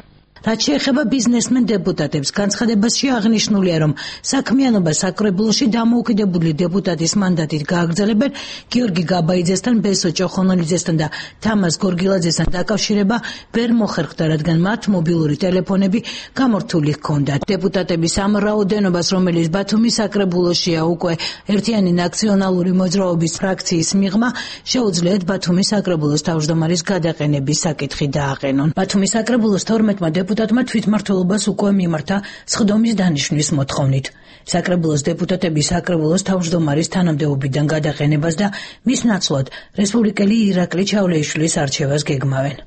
რაც შეეხება ბიზნესმენ დეპუტატებს, განცხადებაში აღნიშნულია, რომ საქმიანობა საკრებულოში დამოუკიდებელი დეპუტატის მანდატით გააგრძელებენ გიორგი გაბაიძესთან, ბესო ჭოხონოლიძესთან და თამაზ გორგილაძესთან დაკავშირება ვერ მოხერხდა, რადგან მათ მობილური ტელეფონები გამორთული ჰქონდათ. დეპუტატების ამ რაოდენობას, რომელიც ბათუმის საკრებულოშია უკვე ერთიანი ნაციონალური მოძრაობის ფრაქციის მიღმა, შეუძლიათ ბათუმის საკრებულოს თავმჯდომარის გადაყენების საკითხი დააყენონ. ბათუმის საკრებულოს თორმეტმა დეპუტატმა თვითმმართველობას უკვე მიმართა სხდომის დანიშვნის მოთხოვნით. საკრებულოს დეპუტატები საკრებულოს თავმჯდომარის თანამდებობიდან გადაყენებას და მის ნაცვლად რესპუბლიკელი ირაკლი ჩავლეიშვილის არჩევას გეგმავენ.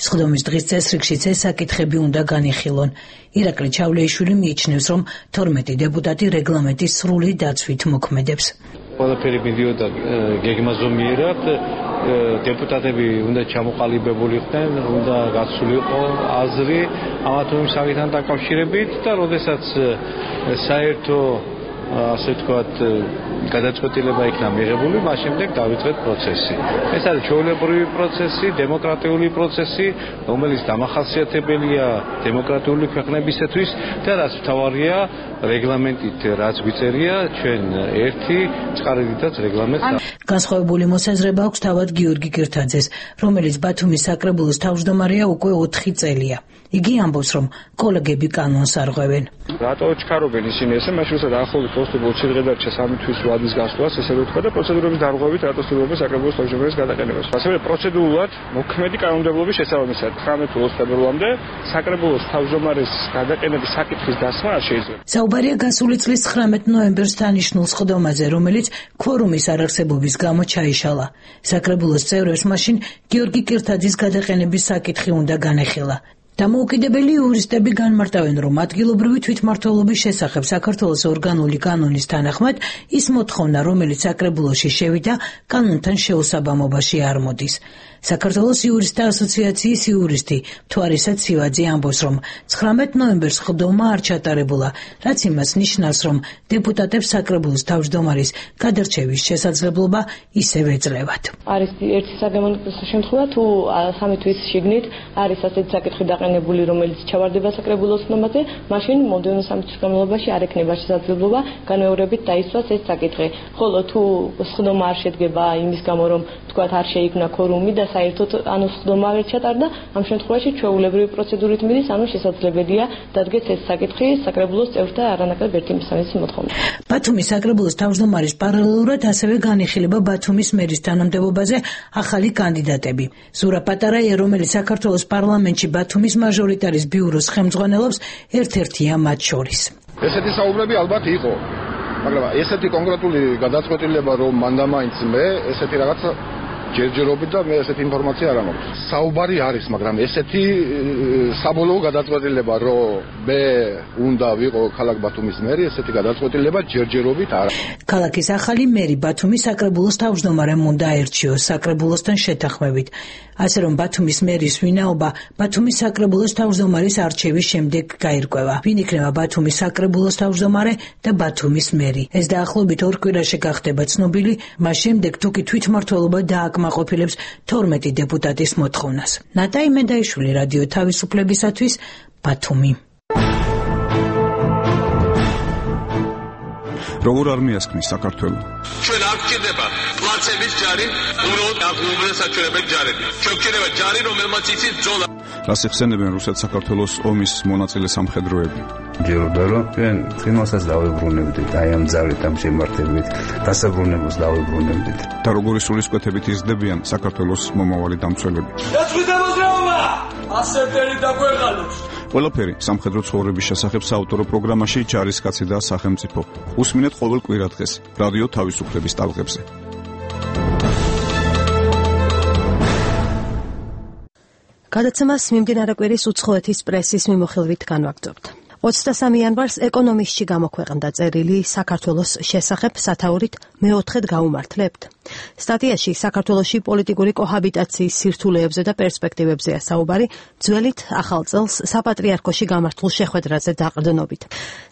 სხდომის დღის წესრიგშიც ეს საკითხები უნდა განიხილონ. ირაკლი ჩავლეიშვილი მიიჩნევს, რომ თორმეტი დეპუტატი რეგლამენტის სრული დაცვით მოქმედებს.
ყველაფერი მიდიოდა გეგმაზომიერად, დეპუტატები უნდა ჩამოყალიბებული ხდნენ, უნდა გაცვლილი იყო აზრი ამა თუ იმ საკითხთან დაკავშირებით და როდესაც საერთო ასე ვთქვათ გადაწყვეტილება იქნა მიღებული, მას შემდეგ დავიწყეთ პროცესი. ეს არის ჩვეულებრივი პროცესი, დემოკრატიული პროცესი, რომელიც დამახასიათებელია დემოკრატიული ქვეყნებისათვის და რაც მთავარია რეგლამენტით, რაც გვიწერია ჩვენ ერთი წყარიდითაც რეგლამენტს.
განსხვავებული მოსაზრება აქვს თავად გიორგი კირთაძეს, რომელიც ბათუმის საკრებულოს თავმჯდომარეა უკვე ოთხი წელია. იგი ამბობს, რომ კოლეგები კანონს არღვევენ.
რატო ჩქარობენ ისინი ესე, მაშინ როცა დაახლოებით კონსტიტუციურ შედგედარჩა სამი თვის ვადის გასვლას, ესე ვთქვა და პროცედურების დარღვევით რატო ცდილობენ საკრებულოს თავმჯდომარის გადაყენებას. ასევე პროცედურულად მოქმედი კანონმდებლობის შესაბამისად ცხრამეტ თებერვალამდე საკრებულოს თავმჯდომარის გადაყენების საკითხის დასმა არ შეიძლება.
საუბარია გასული წლის ცხრამეტ ნოემბერს დანიშნულ სხდომაზე, რომელიც ქვორუმის არარსებობის გამო ჩაიშალა. საკრებულოს წევრებს მაშინ გიორგი კირთაძის გადაყენების საკითხი უნდა განეხილა. დამოუკიდებელი იურისტები განმარტავენ, რომ ადგილობრივი თვითმმართველობის შესახებ საქართველოს ორგანული კანონის თანახმად ის მოთხოვნა, რომელიც საკრებულოში შევიდა, კანონთან შეუსაბამობაში არ მოდის. საქართველოს იურისტთა ასოციაციის იურისტი მთვარისა ცივაძე ამბობს, რომ ცხრამეტ ნოემბერს სხდომა არ ჩატარებულა, რაც იმას ნიშნავს, რომ დეპუტატებს საკრებულოს თავმჯდომარის გადარჩევის შესაძლებლობა ისევ ეძლევათ.
არის ერთი საგამონტკიცო შემთხვევა, თუ სამი თვის შიგნით არის ასეთი საკითხი დაყენებული, რომელიც ჩავარდება საკრებულოს სხდომაზე, მაშინ მომდევნო სამი თვის განმავლობაში არ ექნება შესაძლებლობა განმეორებით დაისვას ეს საკითხი. ხოლო თუ სხდომა არ შედგება იმის გამო, რომ თქვათ არ შეიქმნა ქორუმი და საერთოდ ანუ სხდომა ვერ ჩატარდა, ამ შემთხვევაში ჩვეულებრივი პროცედურით მიდის, ანუ შესაძლებელია დადგეს ეს საკითხი საკრებულოს წევრთა არანაკლებ ერთი მესამედის მოთხოვნით.
ბათუმის საკრებულოს თავმჯდომარის პარალელურად ასევე განიხილება ბათუმის მერის თანამდებობაზე ახალი კანდიდატები. ზურა პატარაია, რომელიც საქართველოს პარლამენტში ბათუმის მაჟორიტარის ბიუროს ხელმძღვანელობს, ერთ-ერთია მათ შორის.
ესეთი საუბრები ალბათ იყო, მაგრამ ესეთი კონკრეტული გადაწყვეტილება, რომ მანდამაინც მე ესეთი რაღაცა ჯერჯერობით და მე ესეთი ინფორმაცია არ მაქვს. საუბარი არის, მაგრამ ესეთი საბოლოო გადაწყვეტილება, რომ მე უნდა ვიყო ქალაქ ბათუმის მერი, ესეთი გადაწყვეტილება ჯერჯერობით არ არის.
ქალაქის ახალი მერი ბათუმის საკრებულოს თავმჯდომარემ უნდა აერჩიოს საკრებულოსთან შეთანხმებით. ასე რომ ბათუმის მერის ვინაობა ბათუმის საკრებულოს თავმჯდომარის არჩევის შემდეგ გაირკვევა. ვინ იქნება ბათუმის საკრებულოს თავმჯდომარე და ბათუმის მერი. ეს დაახლოებით ორ კვირაში გახდება ცნობილი, მას შემდეგ თუ კი თვითმმართველობა დააკმაყოფილებს თორმეტი დეპუტატის მოთხოვნას. ნატაი მედაიშვილი, რადიო თავისუფლებისათვის, ბათუმი.
როგორ არ მიასკნის საქართველო?
ჩვენ არ გვჭირდება პლაცების ჯარი, უბრალოდ აღუბრუნდა საჩვენებელი ჯარები. ჩვენ გვჭირდება ჯარი, რომელმაც იცის ბრძოლა.
რას ეხსენებენ რუსეთ-საქართველოს ომის მონაწილე სამხედროები?
ჯეროდა რომ ჩვენ ცხინვალსაც დავებრუნებდით აი ამ ძალით ამ შემართებით დასაბრუნებულს დავებრუნებდით
და როგორი სულისკვეთებით იზრდებიან საქართველოს მომავალი დამცველები
დაწყვიტა მოძრაობა ასეთერი დაგვეღალოს
ყველაფერი სამხედრო ცხოვრების შესახებ საავტორო პროგრამაში ჯარისკაცი და სახელმწიფო უსმინეთ ყოველ კვირა დღეს რადიო თავისუფლების ტალღებზე
გადაცემას მიმდინარე კვირის უცხოეთის პრესის მიმოხილვით განვაგრძობთ. ოცდასამი იანვარს ეკონომისტში გამოქვეყნდა წერილი საქართველოს შესახებ სათაურით მეოთხედ გაუმართლებთ. სტატიაში საქართველოში პოლიტიკური კოჰაბიტაციის სირთულეებზე და პერსპექტივებზეა საუბარი, ძველით ახალ წელს საპატრიარქოში გამართულ შეხვედრაზე დაყრდნობით.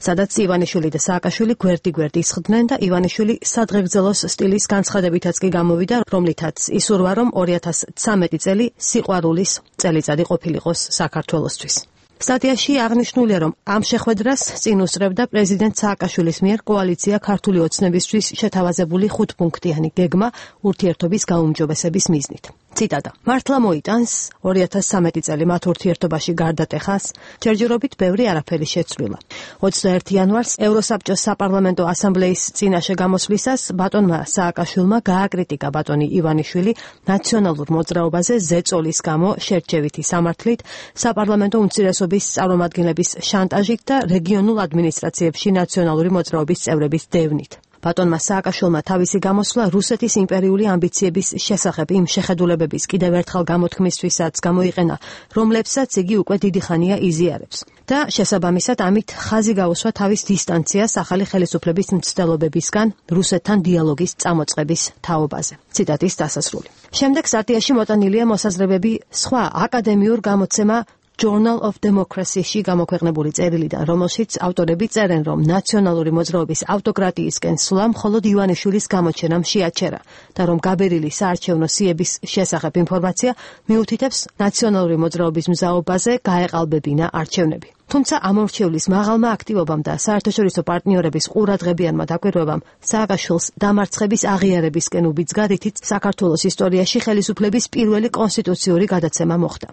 სადაც ივანიშვილი და სააკაშვილი გვერდი-გვერდი ისხდნენ და ივანიშვილი სადღეგრძელოს სტილის განცხადებითაც კი გამოვიდა, რომლითაც ისურვა, რომ ორი ათას ცამეტი წელი სიყვარულის წელიწადი ყოფილიყოს საქართველოსთვის. სტატიაში აღნიშნულია, რომ ამ შეხვედრას წინ უსწრებდა პრეზიდენტ სააკაშვილის მიერ კოალიცია ქართული ოცნებისთვის შეთავაზებული ხუთპუნქტიანი გეგმა ურთიერთობის გაუმჯობესების მიზნით. ციტატა. მართლა მოიტანს ორი ათას ცამეტი წელი მათ ურთიერთობაში გარდატეხას, ჯერჯერობით ბევრი არაფერი შეცვლილა. ოცდაერთი იანვარს ევროსაბჭოს საპარლამენტო ასამბლეის წინაშე გამოსვლისას ბატონმა სააკაშვილმა გააკრიტიკა ბატონი ივანიშვილი ნაციონალურ მოძრაობაზე ზეწოლის გამო შერჩევითი სამართლით, საპარლამენტო უმცირესობის წარმომადგენლების შანტაჟით და რეგიონულ ადმინისტრაციებში ნაციონალური მოძრაობის წევრების დევნით. ბატონმა სააკაშვილმა თავისი გამოსვლა რუსეთის იმპერიული ამბიციების შესახებ იმ შეხედულებების კიდევ ერთხელ გამოთქმისთვისაც გამოიყენა, რომლებსაც იგი უკვე დიდი ხანია იზიარებს. და შესაბამისად ამით ხაზი გაუსვა თავის დისტანციას ახალი ხელისუფლების მცდელობებისგან რუსეთთან დიალოგის წამოწყების თაობაზე. ციტატის დასასრული. შემდეგ სტატიაში მოტანილია მოსაზრებები სხვა აკადემიურ გამოცემა Journal of Democracy-ში გამოქვეყნებული წერილიდან, რომელშიც ავტორები წერენ, რომ ნაციონალური მოძრაობის ავტოკრატიისკენ სვლა მხოლოდ ივანიშვილის გამოჩენამ შეაჩერა და რომ გაბერილი საარჩევნო სიების შესახებ ინფორმაცია მიუთითებს ნაციონალური მოძრაობის მზაობაზე გაეყალბებინა არჩევნები. თუმცა ამორჩევლის მაღალმა აქტივობამ და საერთაშორისო პარტნიორების ყურადღებიანმა დაკვირვებამ სააკაშვილს დამარცხების აღიარებისკენ უბიძგა, რითიც საქართველოს ისტორიაში ხელისუფლების პირველი კონსტიტუციური გადაცემა მოხდა.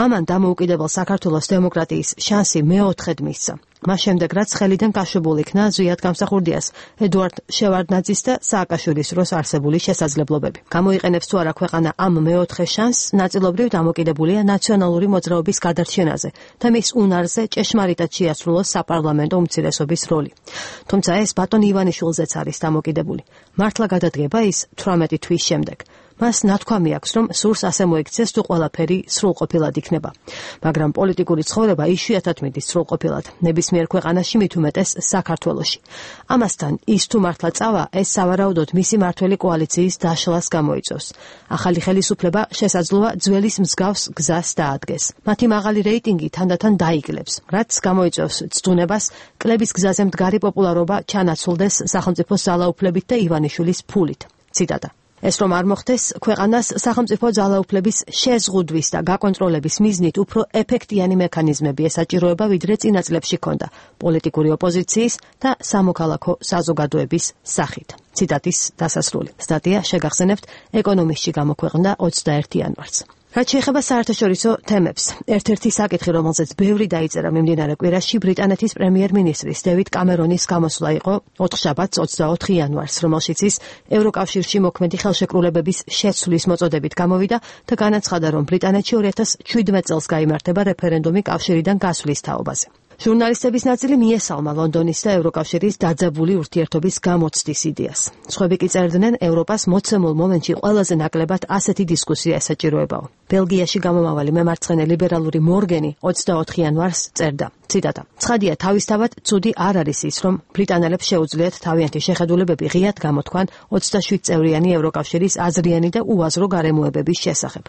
ამან დამოუკიდებელ საქართველოს დემოკრატიის შანსი მეოთხედ მისცა. მას შემდეგ, რაც ხელიდან გაშვებულ იქნა ზვიად გამსახურდიას, ედუარდ შევარდნაძის და სააკაშვილის დროს არსებული შესაძლებლობები. გამოიყენებს თუ არა ქვეყანა ამ მეოთხე შანსს, ნაწილობრივ დამოკიდებულია ნაციონალური მოძრაობის გადარჩენაზე და მის უნარზე ჭეშმარიტად შეასრულოს საპარლამენტო უმცირესობის როლი. თუმცა ეს ბატონ ივანიშვილზეც არის დამოკიდებული. მართლა გადადგება ის თვრამეტი თვის შემდეგ. მას ნათქვამი აქვს, რომ სურს ასე მოიქცეს, თუ ყველაფერი სრულყოფილად იქნება. მაგრამ პოლიტიკური ცხოვრება იშვიათად მიდის სრულყოფილად, ნებისმიერ ქვეყანაში, მით უმეტეს საქართველოში. ამასთან ის თუ მართლა წავა, ეს სავარაუდოდ მისი მართველი კოალიციის დაშლას გამოიწვევს. ახალი ხელისუფლება შესაძლოა ძველის მსგავს გზას დაადგეს. მათი მაღალი რეიტინგი თანდათან დაიკლებს, რაც გამოიწვევს ცდუნებას კლების გზაზე მდგარი პოპულარობა ჩანაცვლდეს სახელმწიფოს ძალაუფლებით და ივანიშვილის ფულით. ციტატა. ეს რომ არ მოხდეს, ქვეყანას სახელმწიფო ძალაუფლების შეზღუდვის და გაკონტროლების მიზნით უფრო ეფექტიანი მექანიზმები ესაჭიროება, ვიდრე წინა წლებში ჰქონდა პოლიტიკური ოპოზიციის და სამოქალაქო საზოგადოების სახით. ციტატის დასასრული. სტატია შეგახსენებთ ეკონომისტში გამოქვეყნდა ოცდაერთი იანვარს. რაც შეეხება საერთაშორისო თემებს, ერთ-ერთი საკითხი, რომელზეც ბევრი დაიწერა მიმდინარე კვირაში, ბრიტანეთის პრემიერ-მინისტრის დევიდ კამერონის გამოსვლა იყო ოთხშაბათს ოცდაოთხი იანვარს, რომელშიც ის ევროკავშირში მოქმედი ხელშეკრულებების შეცვლის მოწოდებით გამოვიდა და განაცხადა, რომ ბრიტანეთში ორი ათას ჩვიდმეტ წელს გაიმართება რეფერენდუმი კავშირიდან გასვლის თაობაზე. ჟურნალისტების ნაწილი მიესალმა ლონდონის და ევროკავშირის დაძაბული ურთიერთობის გამოცდის იდეას. სხვები კი წერდნენ, ევროპას მოცემულ მომენტში ყველაზე ნაკლებად ასეთი დისკუსია ესაჭიროებაო. ბელგიაში გამომავალი მემარცხენე ლიბერალური მორგენი ოცდაოთხი იანვარს წერდა. ციტატა. ცხადია, თავისთავად ცუდი არ არის ის, რომ ბრიტანელებს შეუძლიათ თავიანთი შეხედულებები ღიად გამოთქვან ოცდაშვიდ წევრიანი ევროკავშირის აზრიანი და უაზრო გარემოებების შესახებ.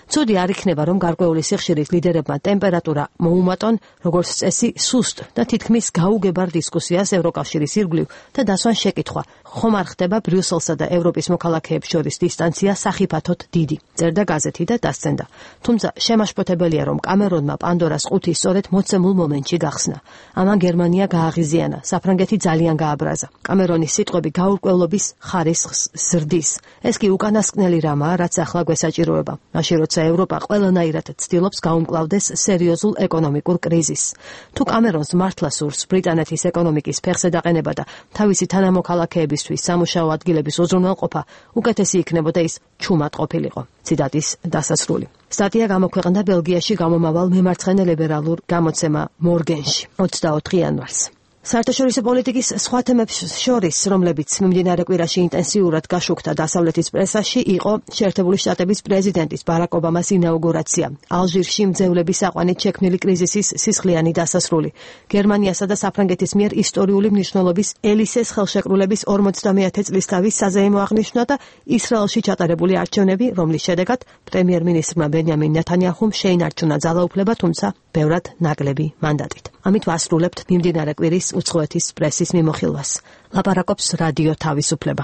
ცუდი არ იქნება, რომ გარკვეული სიხშირის ლიდერებმა ტემპერატურა მოუმატონ, როგორც წესი, სუსტ და თითქმის გაუგებარ დისკუსიას ევროკავშირის ირგვლივ და დასვან შეკითხვა, ხომ არ ხდება ბრიუსელსა და ევროპის მოქალაქეებს შორის დისტანცია სახიფათოდ დიდი. წერდა გაზეთი და დასცენდა. თუმცა შემაშფოთებელია, რომ კამერონმა პანდორას ყუთი სწორედ მოცემულ მომენტში გახსნა. ამან გერმანია გააღიზიანა, საფრანგეთი ძალიან გააბრაზა. კამერონის სიტყვები გაურკვევლობის ხარისხს ზრდის. ეს კი უკანასკნელი რამაა, რაც ახლა გვესაჭიროება. მაშინ როცა ევროპა ყველანაირად ცდილობს გაუმკლავდეს სერიოზულ ეკონომიკურ კრიზისს. თუ კამერონს მართლა სურს ბრიტანეთის ეკონომიკის ფეხზე დაყენება და თავისი თანამოქალაქეებისთვის სამუშაო ადგილების უზრუნველყოფა, უკეთესი იქნებოდა ის ჩუმად ყოფილიყო. ციტატის დასასრული. სტატია გამოქვეყნდა ბელგიაში გამომავალ მემარცხენე ლიბერალურ გამოცემა მორგენში ოცდაოთხი იანვარს. საერთაშორისო პოლიტიკის სხვა თემებს შორის, რომლებიც მიმდინარე კვირაში ინტენსიურად გაშუქდა დასავლეთის პრესაში, იყო შეერთებული შტატების პრეზიდენტის ბარაკ ობამას ინაუგურაცია, ალჟირში მძევლების საყვანით შექმნილი კრიზისის სისხლიანი დასასრული, გერმანიასა და საფრანგეთის მიერ ისტორიული მნიშვნელობის ელისეს ხელშეკრულების ორმოცდამეათე წლისთავის საზეიმო აღნიშვნა და ისრაელში ჩატარებული არჩევნები, რომლის შედეგად პრემიერ-მინისტრმა ბენიამინ ნეთანიაჰუმ შეინარჩუნა ძალაუფლება, თუმცა ბევრად ნაკლები მანდატით. ამით ვასრულებთ მიმდინარე კვირის უცხოეთის პრესის მიმოხილვას. ლაპარაკობს რადიო თავისუფლება.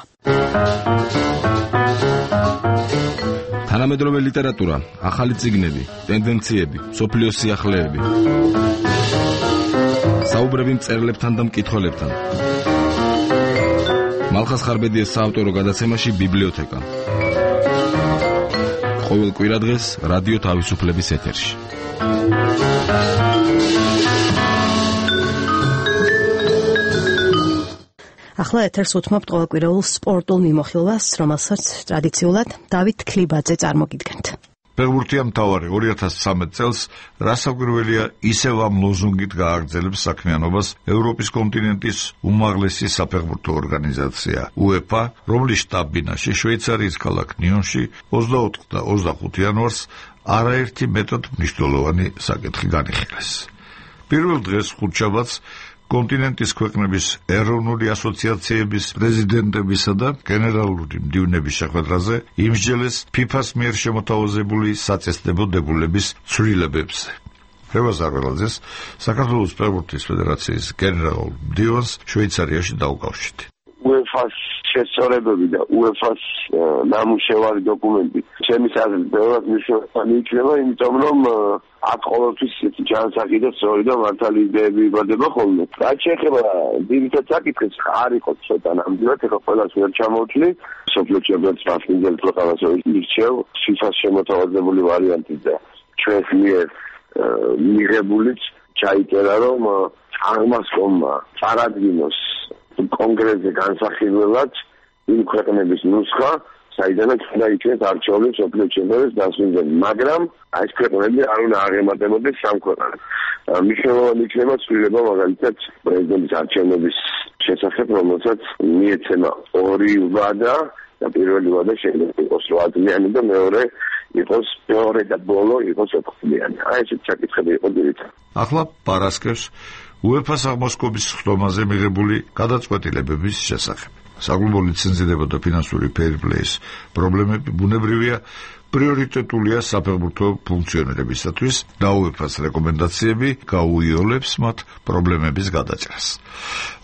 თანამედროვე ლიტერატურა, ახალი წიგნები, ტენდენციები, სოფლიოს სიახლეები. საუბრები მწერლებთან და მკითხველებთან. მალხას ხარბედიას საავტორო გადაცემაში ბიბლიოთეკა. ყოველ კვირადღეს რადიო თავისუფლების ეთერში.
ახლა ეთერს უთმობთ ყოველკვირეულ სპორტულ მიმოხილვას, რომელსაც ტრადიციულად დავით ქლიბაძე წარმოგიდგენთ.
ფეხბურთია მთავარი ორი ათას ცხრამეტ წელს რასაკვირველია ისევ ამ ლოზუნგით გააგრძელებს საქმიანობას ევროპის კონტინენტის უმაღლესი საფეხბურთო ორგანიზაცია უეფა, რომლის შტაბ-ბინაში შვეიცარიის ქალაქ ნიონში ოცდაოთხ და ოცდახუთ იანვარს არაერთი მეტად მნიშვნელოვანი საკითხი განიხილეს. პირველ დღეს ხუთშაბათს კონტინენტის ქვეყნების ეროვნული ასოციაციების პრეზიდენტებისა და გენერალური მდივნების შეხვედრაზე იმსჯელეს ფიფას მიერ შემოთავაზებული საწესდებო დებულების ცვლილებებზე. რევაზ არველაძეს საქართველოს ფეხბურთის ფედერაციის გენერალურ მდივანს შვეიცარიაში დაუკავშირდა.
უეფას შესწორებები და უეფას ნამუშევარი დოკუმენტი ჩემი აზრით ბევრად მნიშვნელოვანი იქნება, იმიტომ რომ აქ ყოველთვის ჯანსაღი და სწორი და მართალი იდეები იბადება ხოლმე. რაც შეეხება ძირითად საკითხებს, არ იყო ცოტა ნამდვილად, ეხლა ყველას ვერ ჩამოვთვლი. სოფლიო ჩემპიონატს მასპინძელ ქვეყანას ირჩევ, ფიფას შემოთავაზებული ვარიანტი და ჩვენს მიერ მიღებულიც ჩაიწერა, რომ აღმასკომმა წარადგინოს კონგრესზე განსახილველად იმ ქვეყნების ნუსხა, საიდანაც უნდა იქნეს არჩეული სოფლიო ჩემპიონატის დასვენებელი, მაგრამ ეს ქვეყნები არ უნდა აღემატებოდეს სამ ქვეყანას. მნიშვნელოვანი იქნება ცვლილება მაგალითად პრეზიდენტის არჩევნების შესახებ, რომელსაც მიეცემა ორი ვადა და პირველი ვადა შეიძლება იყოს რვაწლიანი და მეორე იყოს მეორე და ბოლო იყოს ოთხწლიანი. აი ესეთ საკითხები იყო ძირითადად.
ახლა პარასკევს უეფას აღმასკომის ხდომაზე მიღებული გადაწყვეტილებების შესახებ. საკლუბო ლიცენზირება და ფინანსური ფეირპლეის პრობლემები ბუნებრივია პრიორიტეტულია საფეხბურთო ფუნქციონირებისათვის და უეფას რეკომენდაციები გაუიოლებს მათ პრობლემების გადაჭრას.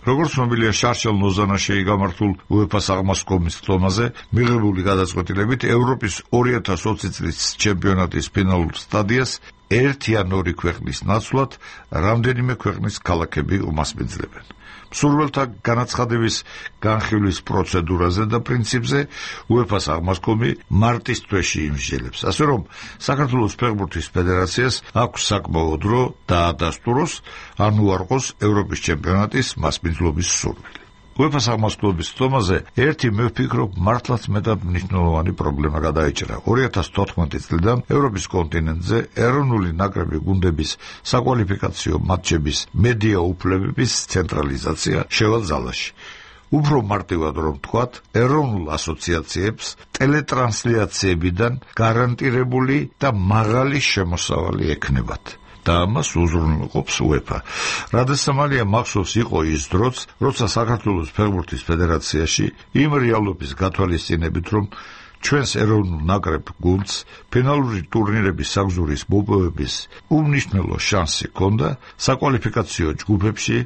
როგორც ცნობილია, შარშელ ნოზანაშეი გამართულ უეფას აღმასკომის ხდომაზე მიღებული გადაწყვეტილებით ევროპის ორი ათას ოცი წლის ჩემპიონატის ფინალურ სტადიას ერთი ან ორი ქვეყნის ნაცვლად რამდენიმე ქვეყნის ქალაქები უმასპინძლებენ. მსურველთა განაცხადების განხილვის პროცედურაზე და პრინციპზე უეფას აღმასკომი მარტის თვეში იმსჯელებს, ასე რომ საქართველოს ფეხბურთის ფედერაციას აქვს საკმაო დრო დაადასტუროს ან უარყოს ევროპის ჩემპიონატის მასპინძლობის სურვილი. უეფას აღმასკომის ხდომაზე ერთი მე ვფიქრობ მართლაც მეტად მნიშვნელოვანი პრობლემა გადაიჭრა. ორი ათას თოთხმეტი წლიდან ევროპის კონტინენტზე ეროვნული ნაკრები გუნდების საკვალიფიკაციო მატჩების მედია უფლებების ცენტრალიზაცია შევა ძალაში. უფრო მარტივად რომ ვთქვათ, ეროვნულ ასოციაციებს ტელეტრანსლიაციებიდან გარანტირებული და მაღალი შემოსავალი ექნებათ. და ამას უზრუნველყოფს უეფა. რადასამალია მახსოვს იყო ის დროც, როცა საქართველოს ფეხბურთის ფედერაციაში იმ რეალობის გათვალისწინებით, რომ ჩვენს ეროვნულ ნაკრებ გუნდს ფინალური ტურნირების საგზურის მოპოვების უმნიშვნელო შანსი ჰქონდა საკვალიფიკაციო ჯგუფებში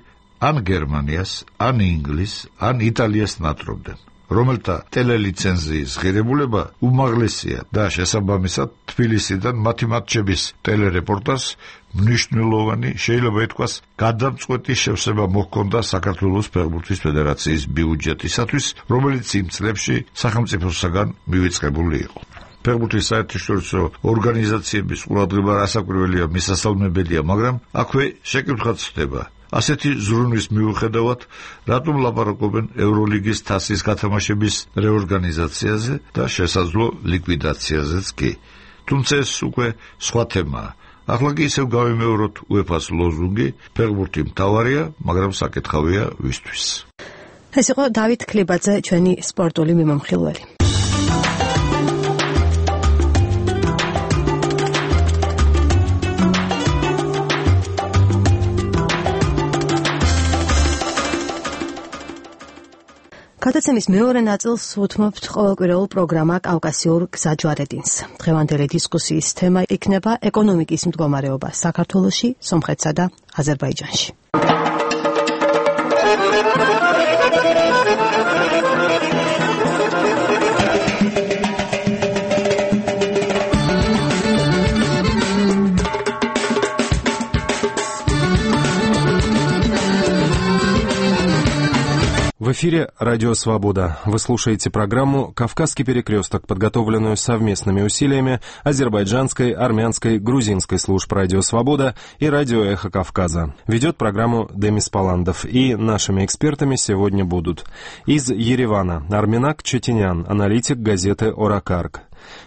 ან გერმანიას, ან ინგლისს, ან იტალიას ნატრობდნენ, რომელთა ტელელიცენზიის ღირებულება უმაღლესია და შესაბამისად თბილისიდან მათი მატჩების ტელერეპორტაჟს მნიშვნელოვანი, შეიძლება ითქვას, გადამწყვეტი შევსება მოჰქონდა საქართველოს ფეხბურთის ფედერაციის ბიუჯეტისათვის, რომელიც იმ წლებში სახელმწიფოსაგან მივიწყებული იყო. ფეხბურთის საერთაშორისო ორგანიზაციების ყურადღება რასაკვირველია მისასალმებელია, მაგრამ აქვე შეკითხვაც ხდება. ასეთი ზრუნვის მიუხედავად, რატომ ლაპარაკობენ ევროლიგის თასის გათამაშების რეორგანიზაციაზე და შესაძლო ლიკვიდაციაზეც კი. თუმცა ეს უკვე სხვა თემაა. ახლა კი ისევ გავიმეოროთ უეფას ლოზუნგი, ფეხბურთი მთავარია, მაგრამ საკითხავია ვისთვის.
ეს იყო დავით ქლიბაძე, ჩვენი სპორტული მიმომხილველი. გადაცემის მეორე ნაწილს უთმობთ ყოველკვირეულ პროგრამა კავკასიურ გზაჯვარედინს. დღევანდელი დისკუსიის თემა იქნება ეკონომიკის მდგომარეობა საქართველოში, სომხეთსა და აზერბაიჯანში.
В эфире «Радио Свобода». Вы слушаете программу «Кавказский перекресток», подготовленную совместными усилиями азербайджанской, армянской, грузинской служб «Радио Свобода» и «Радио Эхо Кавказа». Ведет программу Демис Паландов. И нашими экспертами сегодня будут из Еревана Арменак Четинян, аналитик газеты «Оракарк».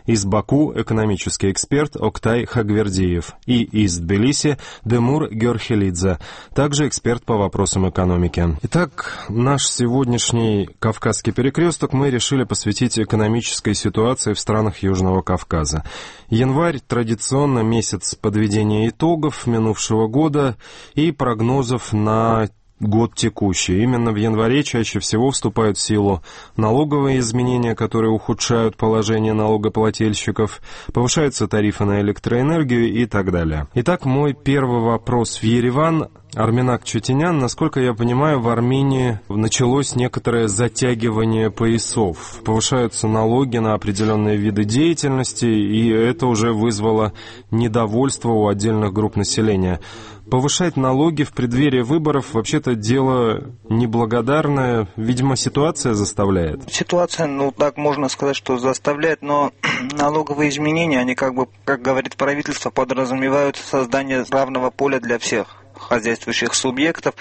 Из Баку экономический эксперт Октай Хагвердиев и из Тбилиси Демур Георхелидзе, также эксперт по вопросам экономики. Итак, наш сегодняшний Кавказский перекресток мы решили посвятить экономической ситуации в странах Южного Кавказа. Январь традиционно месяц подведения итогов минувшего года и прогнозов на год текущий. Именно в январе чаще всего вступают в силу налоговые изменения, которые ухудшают положение налогоплательщиков, повышаются тарифы на электроэнергию и так далее. Итак, мой первый вопрос в Ереван. Арменак Четинян, насколько я понимаю, в Армении началось некоторое затягивание поясов. Повышаются налоги на определенные виды деятельности, и это уже вызвало недовольство у отдельных групп населения. Повышать налоги в преддверии выборов вообще-то дело неблагодарное. Видимо, ситуация заставляет.
Ситуация, ну так можно сказать, что заставляет, но налоговые изменения, они как бы, как говорит правительство, подразумевают создание равного поля для всех хозяйствующих субъектов,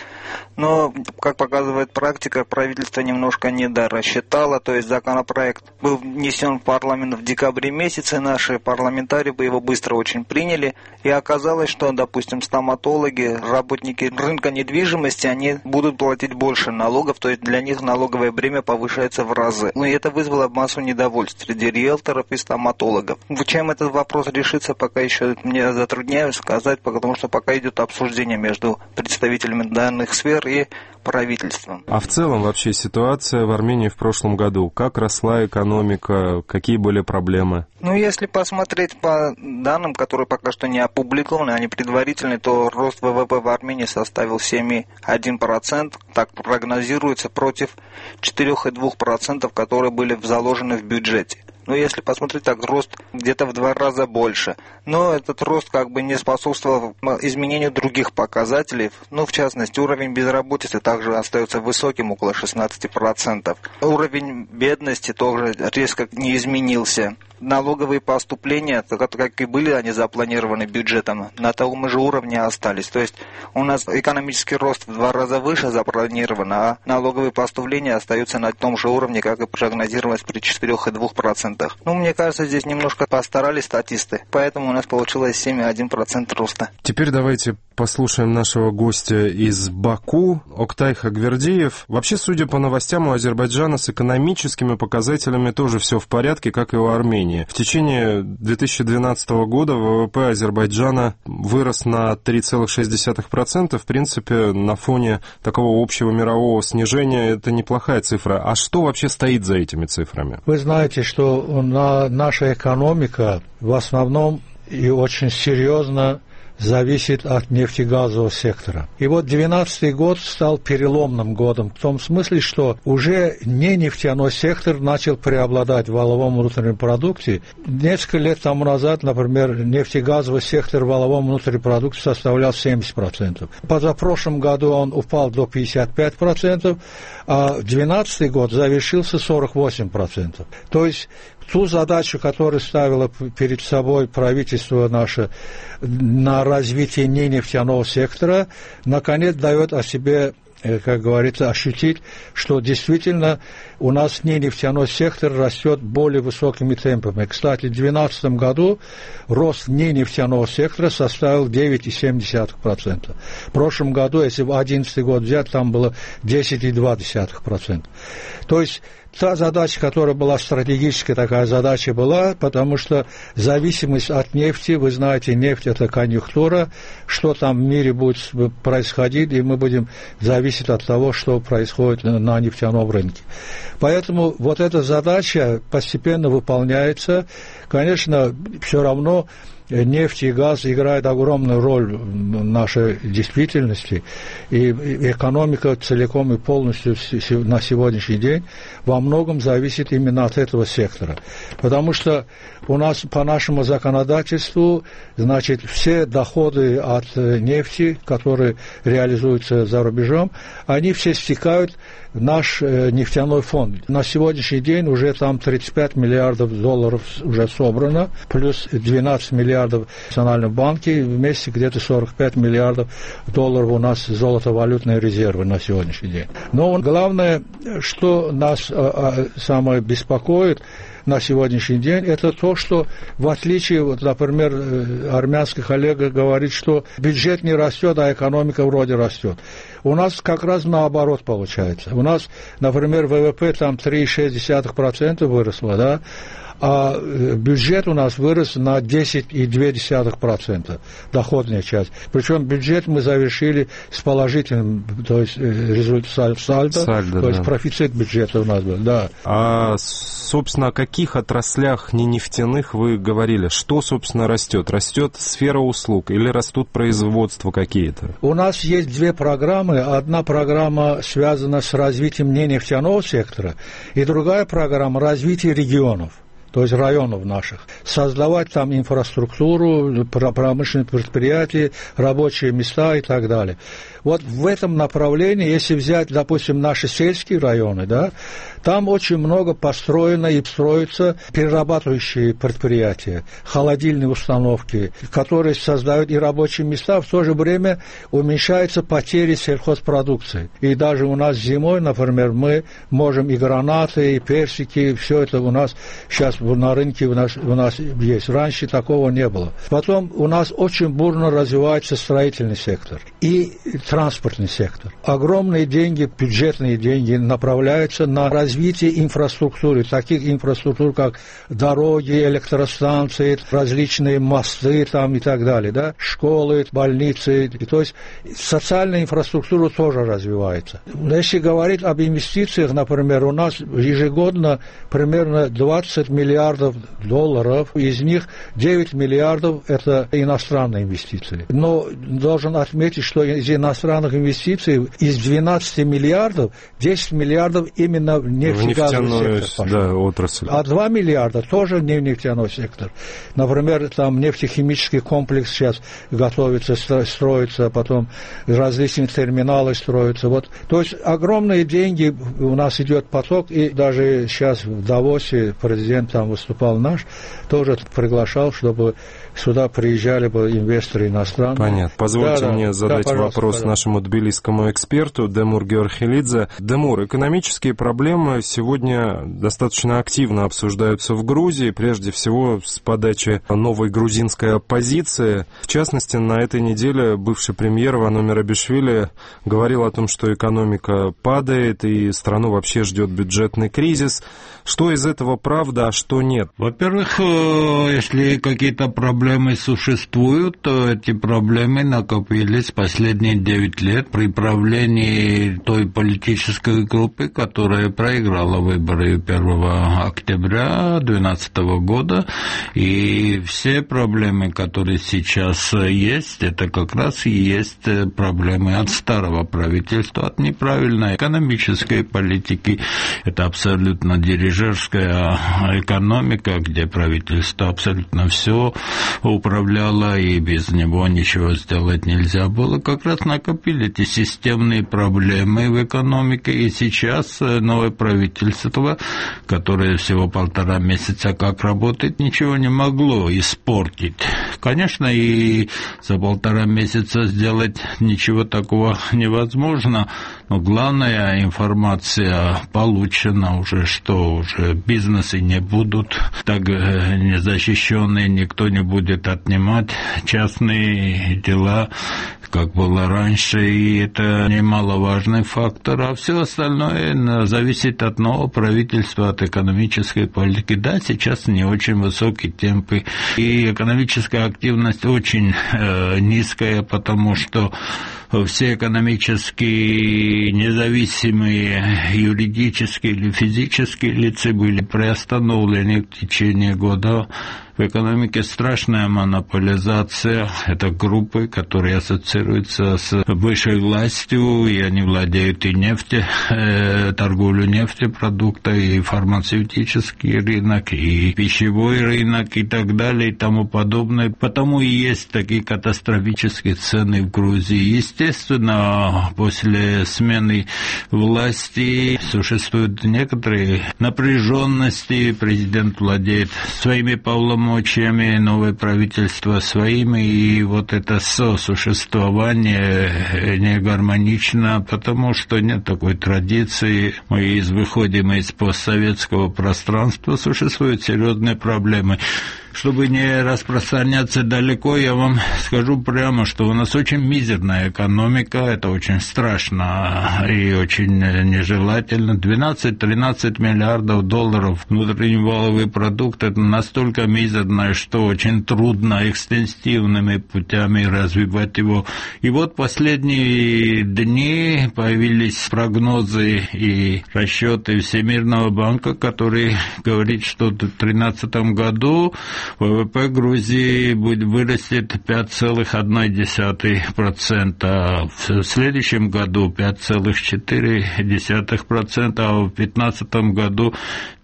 но, как показывает практика, правительство немножко недорассчитало, то есть законопроект был внесен в парламент в декабре месяце, наши парламентарии бы его быстро очень приняли, и оказалось, что, допустим, стоматологи, работники рынка недвижимости, они будут платить больше налогов, то есть для них налоговое бремя повышается в разы. Ну и это вызвало массу недовольств среди риэлторов и стоматологов. Чем этот вопрос решится, пока еще мне затрудняюсь сказать, потому что пока идет обсуждение между представителями данных сфер и правительством.
А в целом вообще ситуация в Армении в прошлом году? Как росла экономика? Какие были проблемы?
Ну, если посмотреть по данным, которые пока что не опубликованы, они предварительные, то рост ВВП в Армении составил семь целых одна десятая процента. Так прогнозируется против четыре целых две десятых процента, которые были заложены в бюджете. Но если посмотреть, так рост где-то в два раза больше. Но этот рост как бы не способствовал изменению других показателей. Ну, в частности, уровень безработицы также остается высоким, около шестнадцати процентов. Уровень бедности тоже резко не изменился. Налоговые поступления, как и были они запланированы бюджетом, на том же уровне остались. То есть у нас экономический рост в два раза выше запланирован, а налоговые поступления остаются на том же уровне, как и прогнозировалось при четырёх целых две десятых процента. Ну, мне кажется, здесь немножко постарались статисты, поэтому у нас получилось семь целых одна десятая процента роста.
Теперь давайте послушаем нашего гостя из Баку, Октай Хагвердиев. Вообще, судя по новостям, у Азербайджана с экономическими показателями тоже все в порядке, как и у Армении. В течение две тысячи двенадцатого года ВВП Азербайджана вырос на три целых шесть десятых процента. В принципе, на фоне такого общего мирового снижения это неплохая цифра. А что вообще стоит за этими цифрами?
Вы знаете, что наша экономика в основном и очень серьезно зависит от нефтегазового сектора. И вот две тысячи двенадцатый год стал переломным годом в том смысле, что уже не нефтяной сектор начал преобладать в валовом внутреннем продукте. Несколько лет тому назад, например, нефтегазовый сектор в валовом внутреннем продукте составлял семьдесят процентов. Позапрошлом году он упал до пятидесяти пяти процентов, а две тысячи двенадцатый год завершился сорок восемь процентов. То есть в ту задачу, которую ставило перед собой правительство наше на развитие ненефтяного сектора, наконец дает о себе, как говорится, ощутить, что действительно у нас ненефтяной сектор растет более высокими темпами. Кстати, в две тысячи двенадцатом году рост ненефтяного сектора составил девять целых семь десятых процента. В прошлом году, если в две тысячи одиннадцатый год взять, там было десять целых два десятых процента. То есть та задача, которая была стратегическая, такая задача была, потому что зависимость от нефти, вы знаете, нефть – это конъюнктура, что там в мире будет происходить, и мы будем зависеть от того, что происходит на нефтяном рынке. Поэтому вот эта задача постепенно выполняется. Конечно, все равно нефть и газ играют огромную роль в нашей действительности, и экономика целиком и полностью на сегодняшний день во многом зависит именно от этого сектора. Потому что у нас по нашему законодательству, значит, все доходы от нефти, которые реализуются за рубежом, они все стекают в наш нефтяной фонд. На сегодняшний день уже там тридцать пять миллиардов долларов уже собрано, плюс двенадцать миллиардов в Национальном банке, вместе где-то сорок пять миллиардов долларов у нас золотовалютные резервы на сегодняшний день. Но главное, что нас а, а, самое беспокоит на сегодняшний день, это то, что в отличие, вот, например, армянский коллега говорит, что бюджет не растет, а экономика вроде растет. У нас как раз наоборот получается. У нас, например, ВВП там три целых шесть десятых процента выросло, да, а бюджет у нас вырос на десять целых две десятых процента, доходная часть. Причем бюджет мы завершили с положительным, то есть результат сальдо,
сальдо,
то есть
да.
профицит бюджета у нас был, да.
А, собственно, о каких отраслях не нефтяных вы говорили? Что, собственно, растет? Растет сфера услуг или растут производства какие-то?
У нас есть две программы. Одна программа связана с развитием ненефтяного сектора, и другая программа развития регионов, то есть районов наших, создавать там инфраструктуру, промышленные предприятия, рабочие места и так далее. Вот в этом направлении, если взять, допустим, наши сельские районы, да, там очень много построено и строятся перерабатывающие предприятия, холодильные установки, которые создают и рабочие места, в то же время уменьшаются потери сельхозпродукции. И даже у нас зимой, например, мы можем и гранаты, и персики, все это у нас сейчас на рынке у нас, у нас есть. Раньше такого не было. Потом у нас очень бурно развивается строительный сектор и транспортный сектор. Огромные деньги, бюджетные деньги направляются на развитие инфраструктуры, таких инфраструктур, как дороги, электростанции, различные мосты там и так далее, да, школы, больницы. И, то есть социальная инфраструктура тоже развивается. Если говорить об инвестициях, например, у нас ежегодно примерно двадцать миллиардов долларов, из них девять миллиардов это иностранные инвестиции. Но должен отметить, что из иностранных инвестиций из двенадцати миллиардов десять миллиардов именно в нефтегазовый сектор пошло.
Да, отрасль.
А два миллиарда тоже не в нефтяной сектор. Например, там нефтехимический комплекс сейчас готовится, строится, потом различные терминалы строятся. Вот. То есть огромные деньги у нас идет поток, и даже сейчас в Давосе президент там выступал наш, тоже приглашал, чтобы сюда приезжали бы инвесторы иностранные.
Понятно. Позвольте
да,
мне
да,
задать
да,
вопрос
пожалуйста.
нашему тбилисскому эксперту Демур Георхелидзе. Демур, экономические проблемы сегодня достаточно активно обсуждаются в Грузии, прежде всего с подачи новой грузинской оппозиции. В частности, на этой неделе бывший премьер Вано Мерабишвили говорил о том, что экономика падает и страну вообще ждет бюджетный кризис. Что из этого правда, а что нет?
Во-первых, если какие-то проблемы существуют, то эти проблемы накопились последние девять лет при правлении той политической группы, которая проиграла выборы первого октября две тысячи двенадцатого года. И все проблемы, которые сейчас есть, это как раз и есть проблемы от старого правительства, от неправильной экономической политики. Это абсолютно дирижерская экономика, где правительство абсолютно все управляло, и без него ничего сделать нельзя было, как раз накопили эти системные проблемы в экономике, и сейчас новое правительство, которое всего полтора месяца как работает, ничего не могло испортить. Конечно, и за полтора месяца сделать ничего такого невозможно, но главная информация получена уже, что уже бизнесы не будут так незащищенные, никто не будет отнимать частные дела, как было раньше, и это немаловажный фактор, а все остальное зависит от нового правительства, от экономической политики. Да, сейчас не очень высокие темпы, и экономическая активность очень э, низкая, потому что все экономически независимые юридические или физические лица были приостановлены в течение года. В экономике страшная монополизация. Это группы, которые ассоциируются с высшей властью, и они владеют и нефтью, э, торговлю нефтепродуктами, и фармацевтический рынок, и пищевой рынок, и так далее, и тому подобное. Потому и есть такие катастрофические цены в Грузии. Естественно, после смены власти существуют некоторые напряженности. Президент владеет своими полномочиями, новое правительство своими, и вот это сосуществование не гармонично, потому что нет такой традиции. Мы выходим из постсоветского пространства, существуют серьезные проблемы. Чтобы не распространяться далеко, я вам скажу прямо, что у нас очень мизерная экономика, это очень страшно и очень нежелательно. двенадцать-тринадцать миллиардов долларов внутренний валовый продукт, это настолько мизерное, что очень трудно экстенсивными путями развивать его. И вот последние дни появились прогнозы и расчеты Всемирного банка, который говорит, что в две тысячи тринадцатом году ВВП Грузии будет вырастет пять целых одна десятая процента, в следующем году пять целых четыре десятых процента, а в две тысячи пятнадцатом году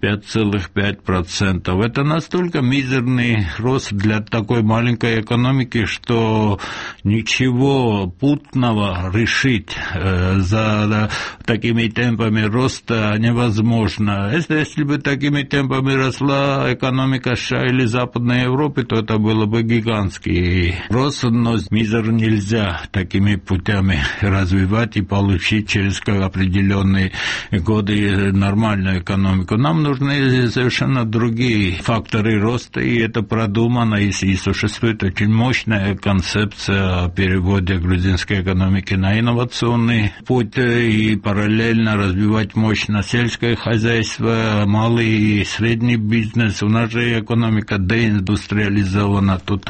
пять целых пять десятых процента. Это настолько мизерный рост для такой маленькой экономики, что ничего путного решить э, за да, такими темпами роста невозможно. Если, если бы такими темпами росла экономика США или Западной Европы, то это было бы гигантский рост, но мизер нельзя такими путями развивать и получить через определенные годы нормальную экономику. Нам нужны совершенно другие факторы роста, и это продумано, и, и существует очень мощная концепция о переводе грузинской экономики на инновационный путь и параллельно развивать мощно сельское хозяйство, малый и средний бизнес. У нас же экономика деиндустриализована. Тут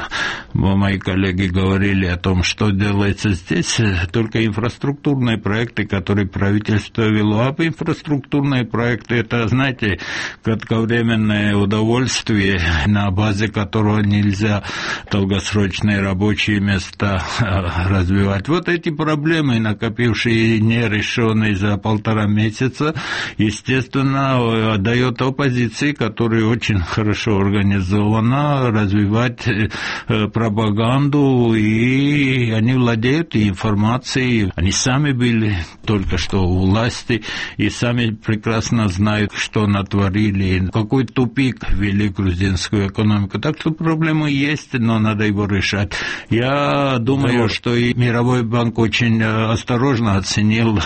мои коллеги говорили о том, что делается здесь. Только инфраструктурные проекты, которые правительство вело. А инфраструктурные проекты, это, знаете, кратковременное удовольствие, на базе которого нельзя долгосрочные рабочие места развивать. Вот эти проблемы, накопившие нерешенные за полтора месяца, естественно, дает оппозиции, которая очень хорошо организована, развивать пропаганду, и они владеют информацией. Они сами были только что у власти и сами прекрасно знают, что натворили, какой тупик ввели грузинскую экономику. Так что проблемы есть, но надо его решать. Я думаю, да, что и Мировой банк очень осторожно оценил,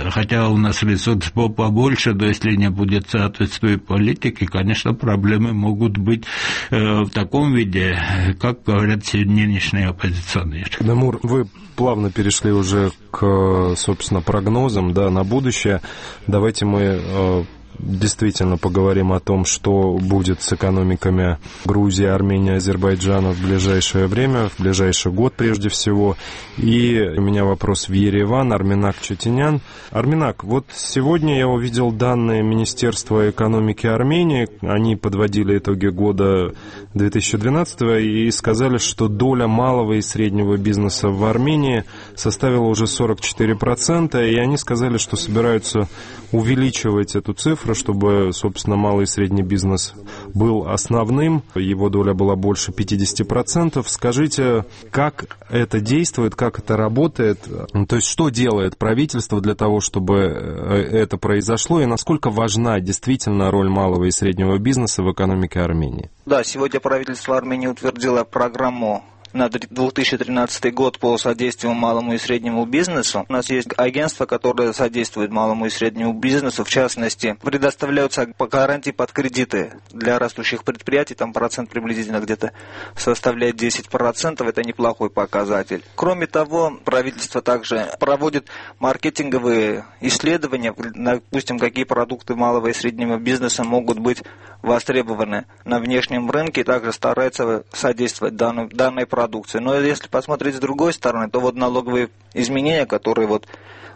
хотя у нас ресурс побольше, но если не будет соответствующей политики, конечно, проблемы могут быть в таком виде, как говорят нынешние оппозиционеры.
Дамур, вы плавно перешли уже к, собственно, прогнозам, да, на будущее. Давайте мы действительно поговорим о том, что будет с экономиками Грузии, Армении, Азербайджана в ближайшее время, в ближайший год прежде всего. И у меня вопрос в Ереван. Арменак Чатинян. Арменак, вот сегодня я увидел данные Министерства экономики Армении. Они подводили итоги года две тысячи двенадцатого и сказали, что доля малого и среднего бизнеса в Армении составила уже сорок четыре процента, и они сказали, что собираются увеличивать эту цифру цифра, чтобы, собственно, малый и средний бизнес был основным, его доля была больше пятьдесят процентов. Скажите, как это действует, как это работает, то есть что делает правительство для того, чтобы это произошло, и насколько важна действительно роль малого и среднего бизнеса в экономике Армении?
Да, сегодня правительство Армении утвердило программу на две тысячи тринадцатый год по содействию малому и среднему бизнесу. У нас есть агентство, которое содействует малому и среднему бизнесу. В частности, предоставляются гарантии под кредиты для растущих предприятий. Там процент приблизительно где-то составляет десять процентов. Это неплохой показатель. Кроме того, правительство также проводит маркетинговые исследования. Допустим, какие продукты малого и среднего бизнеса могут быть востребованы на внешнем рынке. И также старается содействовать данной, данной продукции. Но если посмотреть с другой стороны, то вот налоговые изменения, которые вот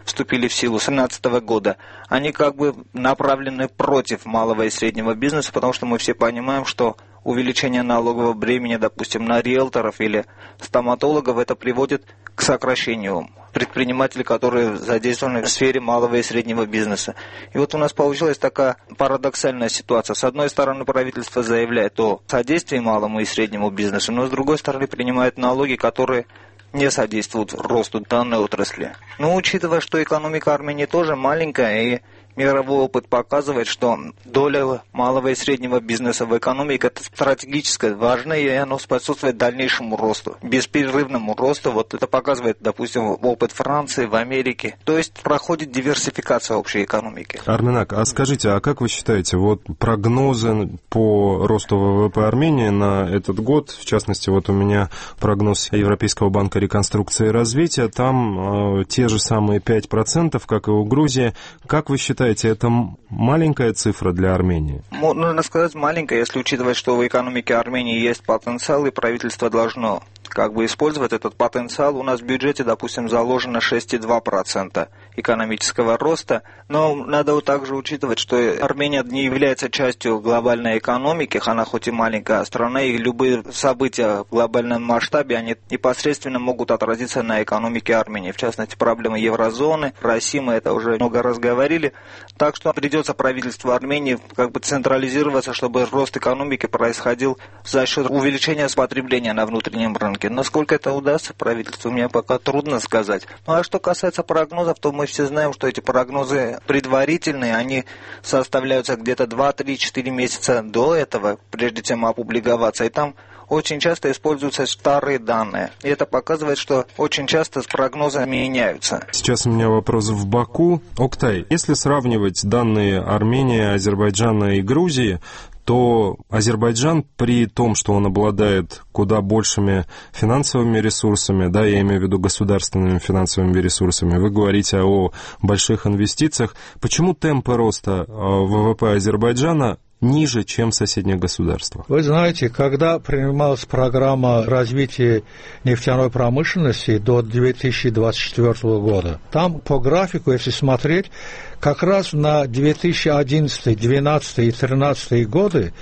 вступили в силу с две тысячи семнадцатого года, они как бы направлены против малого и среднего бизнеса, потому что мы все понимаем, что увеличение налогового бремени, допустим, на риэлторов или стоматологов, это приводит к сокращению предпринимателей, которые задействованы в сфере малого и среднего бизнеса. И вот у нас получилась такая парадоксальная ситуация. С одной стороны, правительство заявляет о содействии малому и среднему бизнесу, но с другой стороны принимает налоги, которые не содействуют росту данной отрасли. Но учитывая, что экономика Армении тоже маленькая, и мировой опыт показывает, что доля малого и среднего бизнеса в экономике это стратегически важно, и оно способствует дальнейшему росту, беспрерывному росту. Вот это показывает, допустим, опыт Франции, в Америке. То есть проходит диверсификация общей экономики.
Арменак, а скажите, а как вы считаете, вот прогнозы по росту ВВП Армении на этот год, в частности, вот у меня прогноз Европейского банка реконструкции и развития, там э, те же самые пять процентов, как и у Грузии. Как вы считаете, это маленькая цифра для Армении?
Нужно сказать маленькая, если учитывать, что в экономике Армении есть потенциал, и правительство должно как бы использовать этот потенциал. У нас в бюджете, допустим, заложено шесть целых два десятых процента экономического роста, но надо вот также учитывать, что Армения не является частью глобальной экономики, она хоть и маленькая страна, и любые события в глобальном масштабе, они непосредственно могут отразиться на экономике Армении. В частности, проблемы еврозоны, России, мы это уже много раз говорили. Так что придется правительству Армении как бы централизироваться, чтобы рост экономики происходил за счет увеличения потребления на внутреннем рынке. Насколько это удастся правительству, мне пока трудно сказать. Ну а что касается прогнозов, то мы все знаем, что эти прогнозы предварительные, они составляются где-то два, три, четыре месяца до этого, прежде чем опубликоваться, и там очень часто используются старые данные. И это показывает, что очень часто прогнозы меняются.
Сейчас у меня вопрос в Баку. Октай, если сравнивать данные Армении, Азербайджана и Грузии, то Азербайджан при том, что он обладает куда большими финансовыми ресурсами, да, я имею в виду государственными финансовыми ресурсами, вы говорите о больших инвестициях, почему темпы роста ВВП Азербайджана ниже, чем в соседних государствах?
Вы знаете, когда принималась программа развития нефтяной промышленности до две тысячи двадцать четвёртого года, там по графику, если смотреть, как раз на две тысячи одиннадцатый, двенадцатый и тринадцатый годы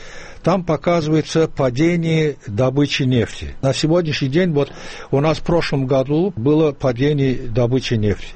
там показывается падение добычи нефти. На сегодняшний день, вот у нас в прошлом году было падение добычи нефти.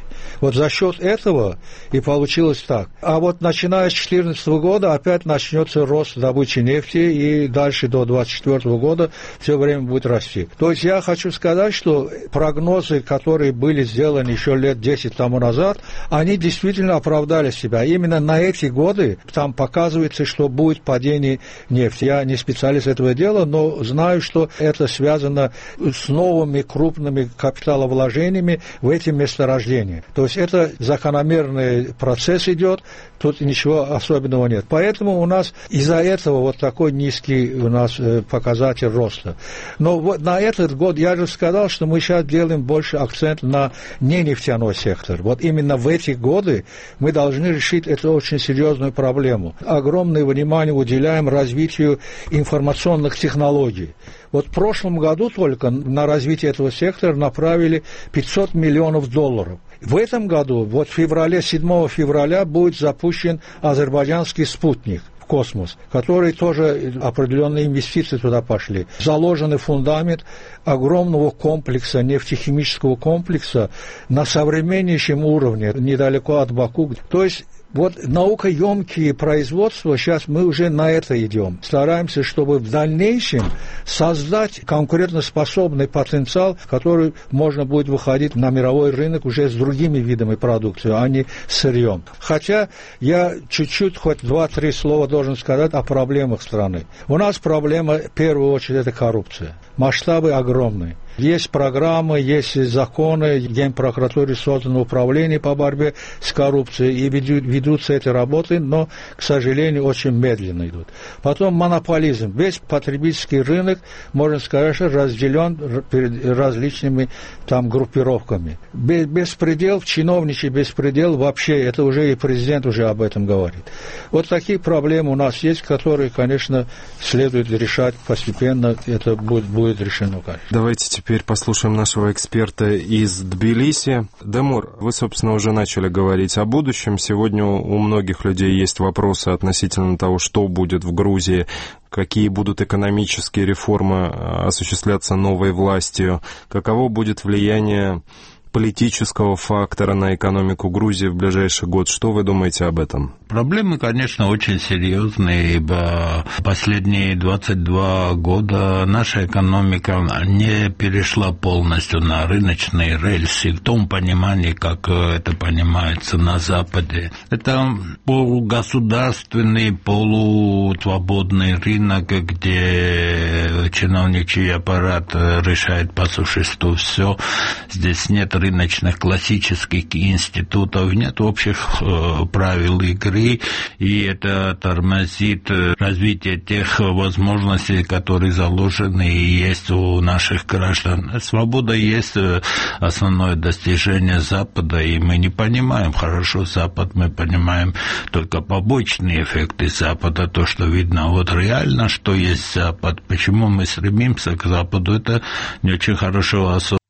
Вот за счет этого и получилось так. А вот начиная с две тысячи четырнадцатого года опять начнется рост добычи нефти, и дальше до две тысячи двадцать четвёртого года все время будет расти. То есть я хочу сказать, что прогнозы, которые были сделаны еще лет десять тому назад, они действительно оправдали себя. Именно на эти годы там показывается, что будет падение нефти. Я не специалист этого дела, но знаю, что это связано с новыми крупными капиталовложениями в эти месторождения. То есть это закономерный процесс идет, тут ничего особенного нет. Поэтому у нас из-за этого вот такой низкий у нас показатель роста. Но вот на этот год я же сказал, что мы сейчас делаем больше акцент на ненефтяной сектор. Вот именно в эти годы мы должны решить эту очень серьезную проблему. Огромное внимание уделяем развитию информационных технологий. Вот в прошлом году только на развитие этого сектора направили пятьсот миллионов долларов. В этом году, вот в феврале, седьмого февраля, будет запущен азербайджанский спутник. космос, которые тоже определенные инвестиции туда пошли. Заложенный фундамент огромного комплекса, нефтехимического комплекса на современнейшем уровне, недалеко от Баку. То есть вот наукоемкие производства, сейчас мы уже на это идем. Стараемся, чтобы в дальнейшем создать конкурентоспособный потенциал, который можно будет выходить на мировой рынок уже с другими видами продукции, а не сырьем. Хотя я чуть-чуть, хоть два-три слова должен сказать о проблемах страны. У нас проблема, в первую очередь, это коррупция. Масштабы огромные. Есть программы, есть законы, Генпрокуратуре создано управление по борьбе с коррупцией, и ведутся эти работы, но, к сожалению, очень медленно идут. Потом монополизм. Весь потребительский рынок, можно сказать, разделен различными там группировками. Беспредел, чиновничий беспредел вообще, это уже и президент уже об этом говорит. Вот такие проблемы у нас есть, которые, конечно, следует решать постепенно, это будет, будет решено, конечно.
Давайте теперь послушаем нашего эксперта из Тбилиси. Демур, вы, собственно, уже начали говорить о будущем. Сегодня у многих людей есть вопросы относительно того, что будет в Грузии, какие будут экономические реформы осуществляться новой властью, каково будет влияние политического фактора на экономику Грузии в ближайший год. Что вы думаете об этом?
Проблемы, конечно, очень серьезные, ибо последние двадцать два года наша экономика не перешла полностью на рыночные рельсы в том понимании, как это понимается на Западе. Это полугосударственный, полусвободный рынок, где чиновничий аппарат решает по существу все. Здесь нет рыночных классических институтов, нет общих э, правил игры, и это тормозит развитие тех возможностей, которые заложены и есть у наших граждан. Свобода есть основное достижение Запада, и мы не понимаем хорошо Запад, мы понимаем только побочные эффекты Запада, то, что видно. Вот реально, что есть Запад, почему мы стремимся к Западу, это не очень хорошо осознано.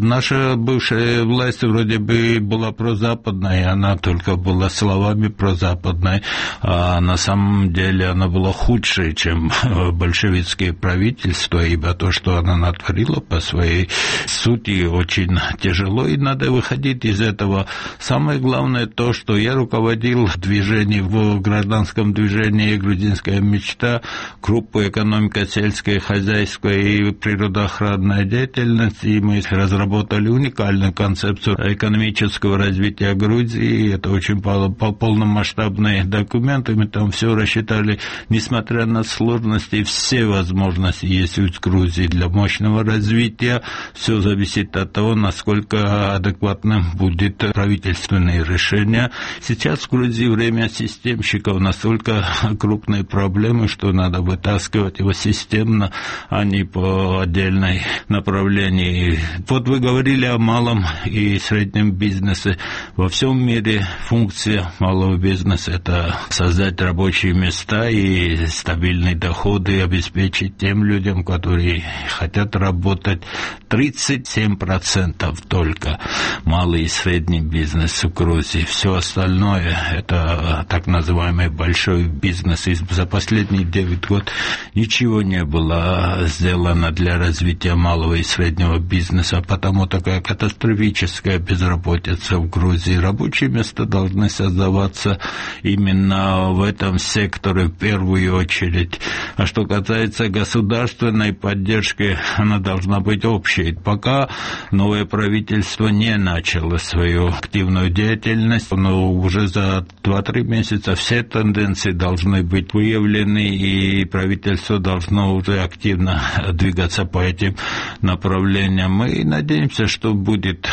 Наша бывшая власть вроде бы была прозападной, она только была словами прозападной, а на самом деле она была худшей, чем большевистское правительство, ибо то, что она натворила по своей сути, очень тяжело, и надо выходить из этого. Самое главное то, что я руководил движением в гражданском движении «Грузинская мечта», группу «Экономика, сельское хозяйство и природоохранная деятельность», и мы разработали уникальную концепцию экономического развития Грузии. Это очень полномасштабные документы. Мы там все рассчитали, несмотря на сложности, все возможности есть у Грузии для мощного развития. Все зависит от того, насколько адекватным будет правительственное решение. Сейчас в Грузии время системщиков, настолько крупные проблемы, что надо вытаскивать его системно, а не по отдельной направлении. Вот вы говорили о малом и среднем бизнесе. Во всем мире функция малого бизнеса – это создать рабочие места и стабильные доходы, обеспечить тем людям, которые хотят работать. тридцать семь процентов только малый и средний бизнес в Грузии. Все остальное – это так называемый большой бизнес. И за последние девять лет ничего не было сделано для развития малого и среднего бизнеса, потому такая катастрофическая безработица в Грузии. Рабочие места должны создаваться именно в этом секторе в первую очередь. А что касается государственной поддержки, она должна быть общей. Пока новое правительство не начало свою активную деятельность, но уже за два-три месяца все тенденции должны быть выявлены, и правительство должно уже активно двигаться по этим направлениям. Мы надеемся, что будет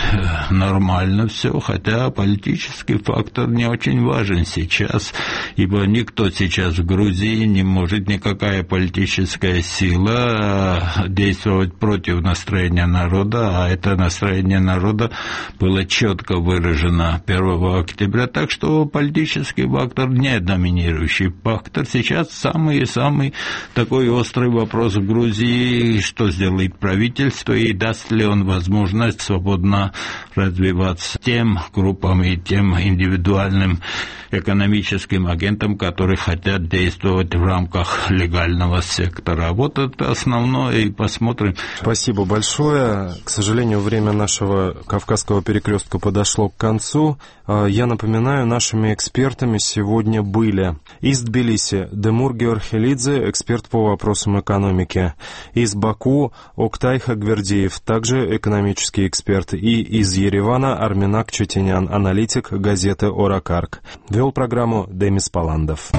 нормально все, хотя политический фактор не очень важен сейчас, ибо никто сейчас в Грузии не может, никакая политическая сила действовать против настроения народа, а это настроение народа было четко выражено первого октября, так что политический фактор не доминирующий фактор. Сейчас самый-самый такой острый вопрос в Грузии, что сделает правительство и даст ли он возможность свободно развиваться тем группам и тем индивидуальным экономическим агентам, которые хотят действовать в рамках легального сектора. Вот это основное, и посмотрим.
Спасибо большое. К сожалению, время нашего Кавказского перекрестка подошло к концу. Я напоминаю, нашими экспертами сегодня были из Тбилиси Демур Георхелидзе, эксперт по вопросам экономики, из Баку Октай Хагвердиев, также экономический эксперт, и из Еревана Арменак Четенян, аналитик газеты «Оракарк». Вел программу Демис Паландов.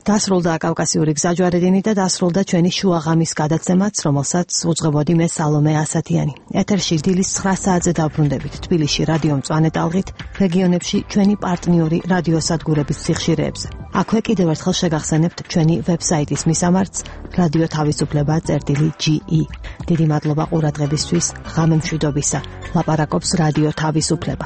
დასრულდა კავკასიური გზაჯვარედინი და დასრულდა ჩვენი შუაღამის გადაცემაც, რომელსაც უძღვებოდი მე სალომე ასათიანი. ეთერში დილის ცხრა საათზე დაბრუნდებით თბილისში რადიო მწვანე ტალღით, რეგიონებში ჩვენი პარტნიორი რადიოსადგურების სიხშირეებზე. აქვე კიდევ ერთხელ შეგახსენებთ ჩვენი ვებსაიტის მისამართს რადიო თავისუფლება წერტილი ჯი ი. დიდი მადლობა ყურადღებისთვის, ღამე მშვიდობისა. ლაპარაკობს რადიო თავისუფლება.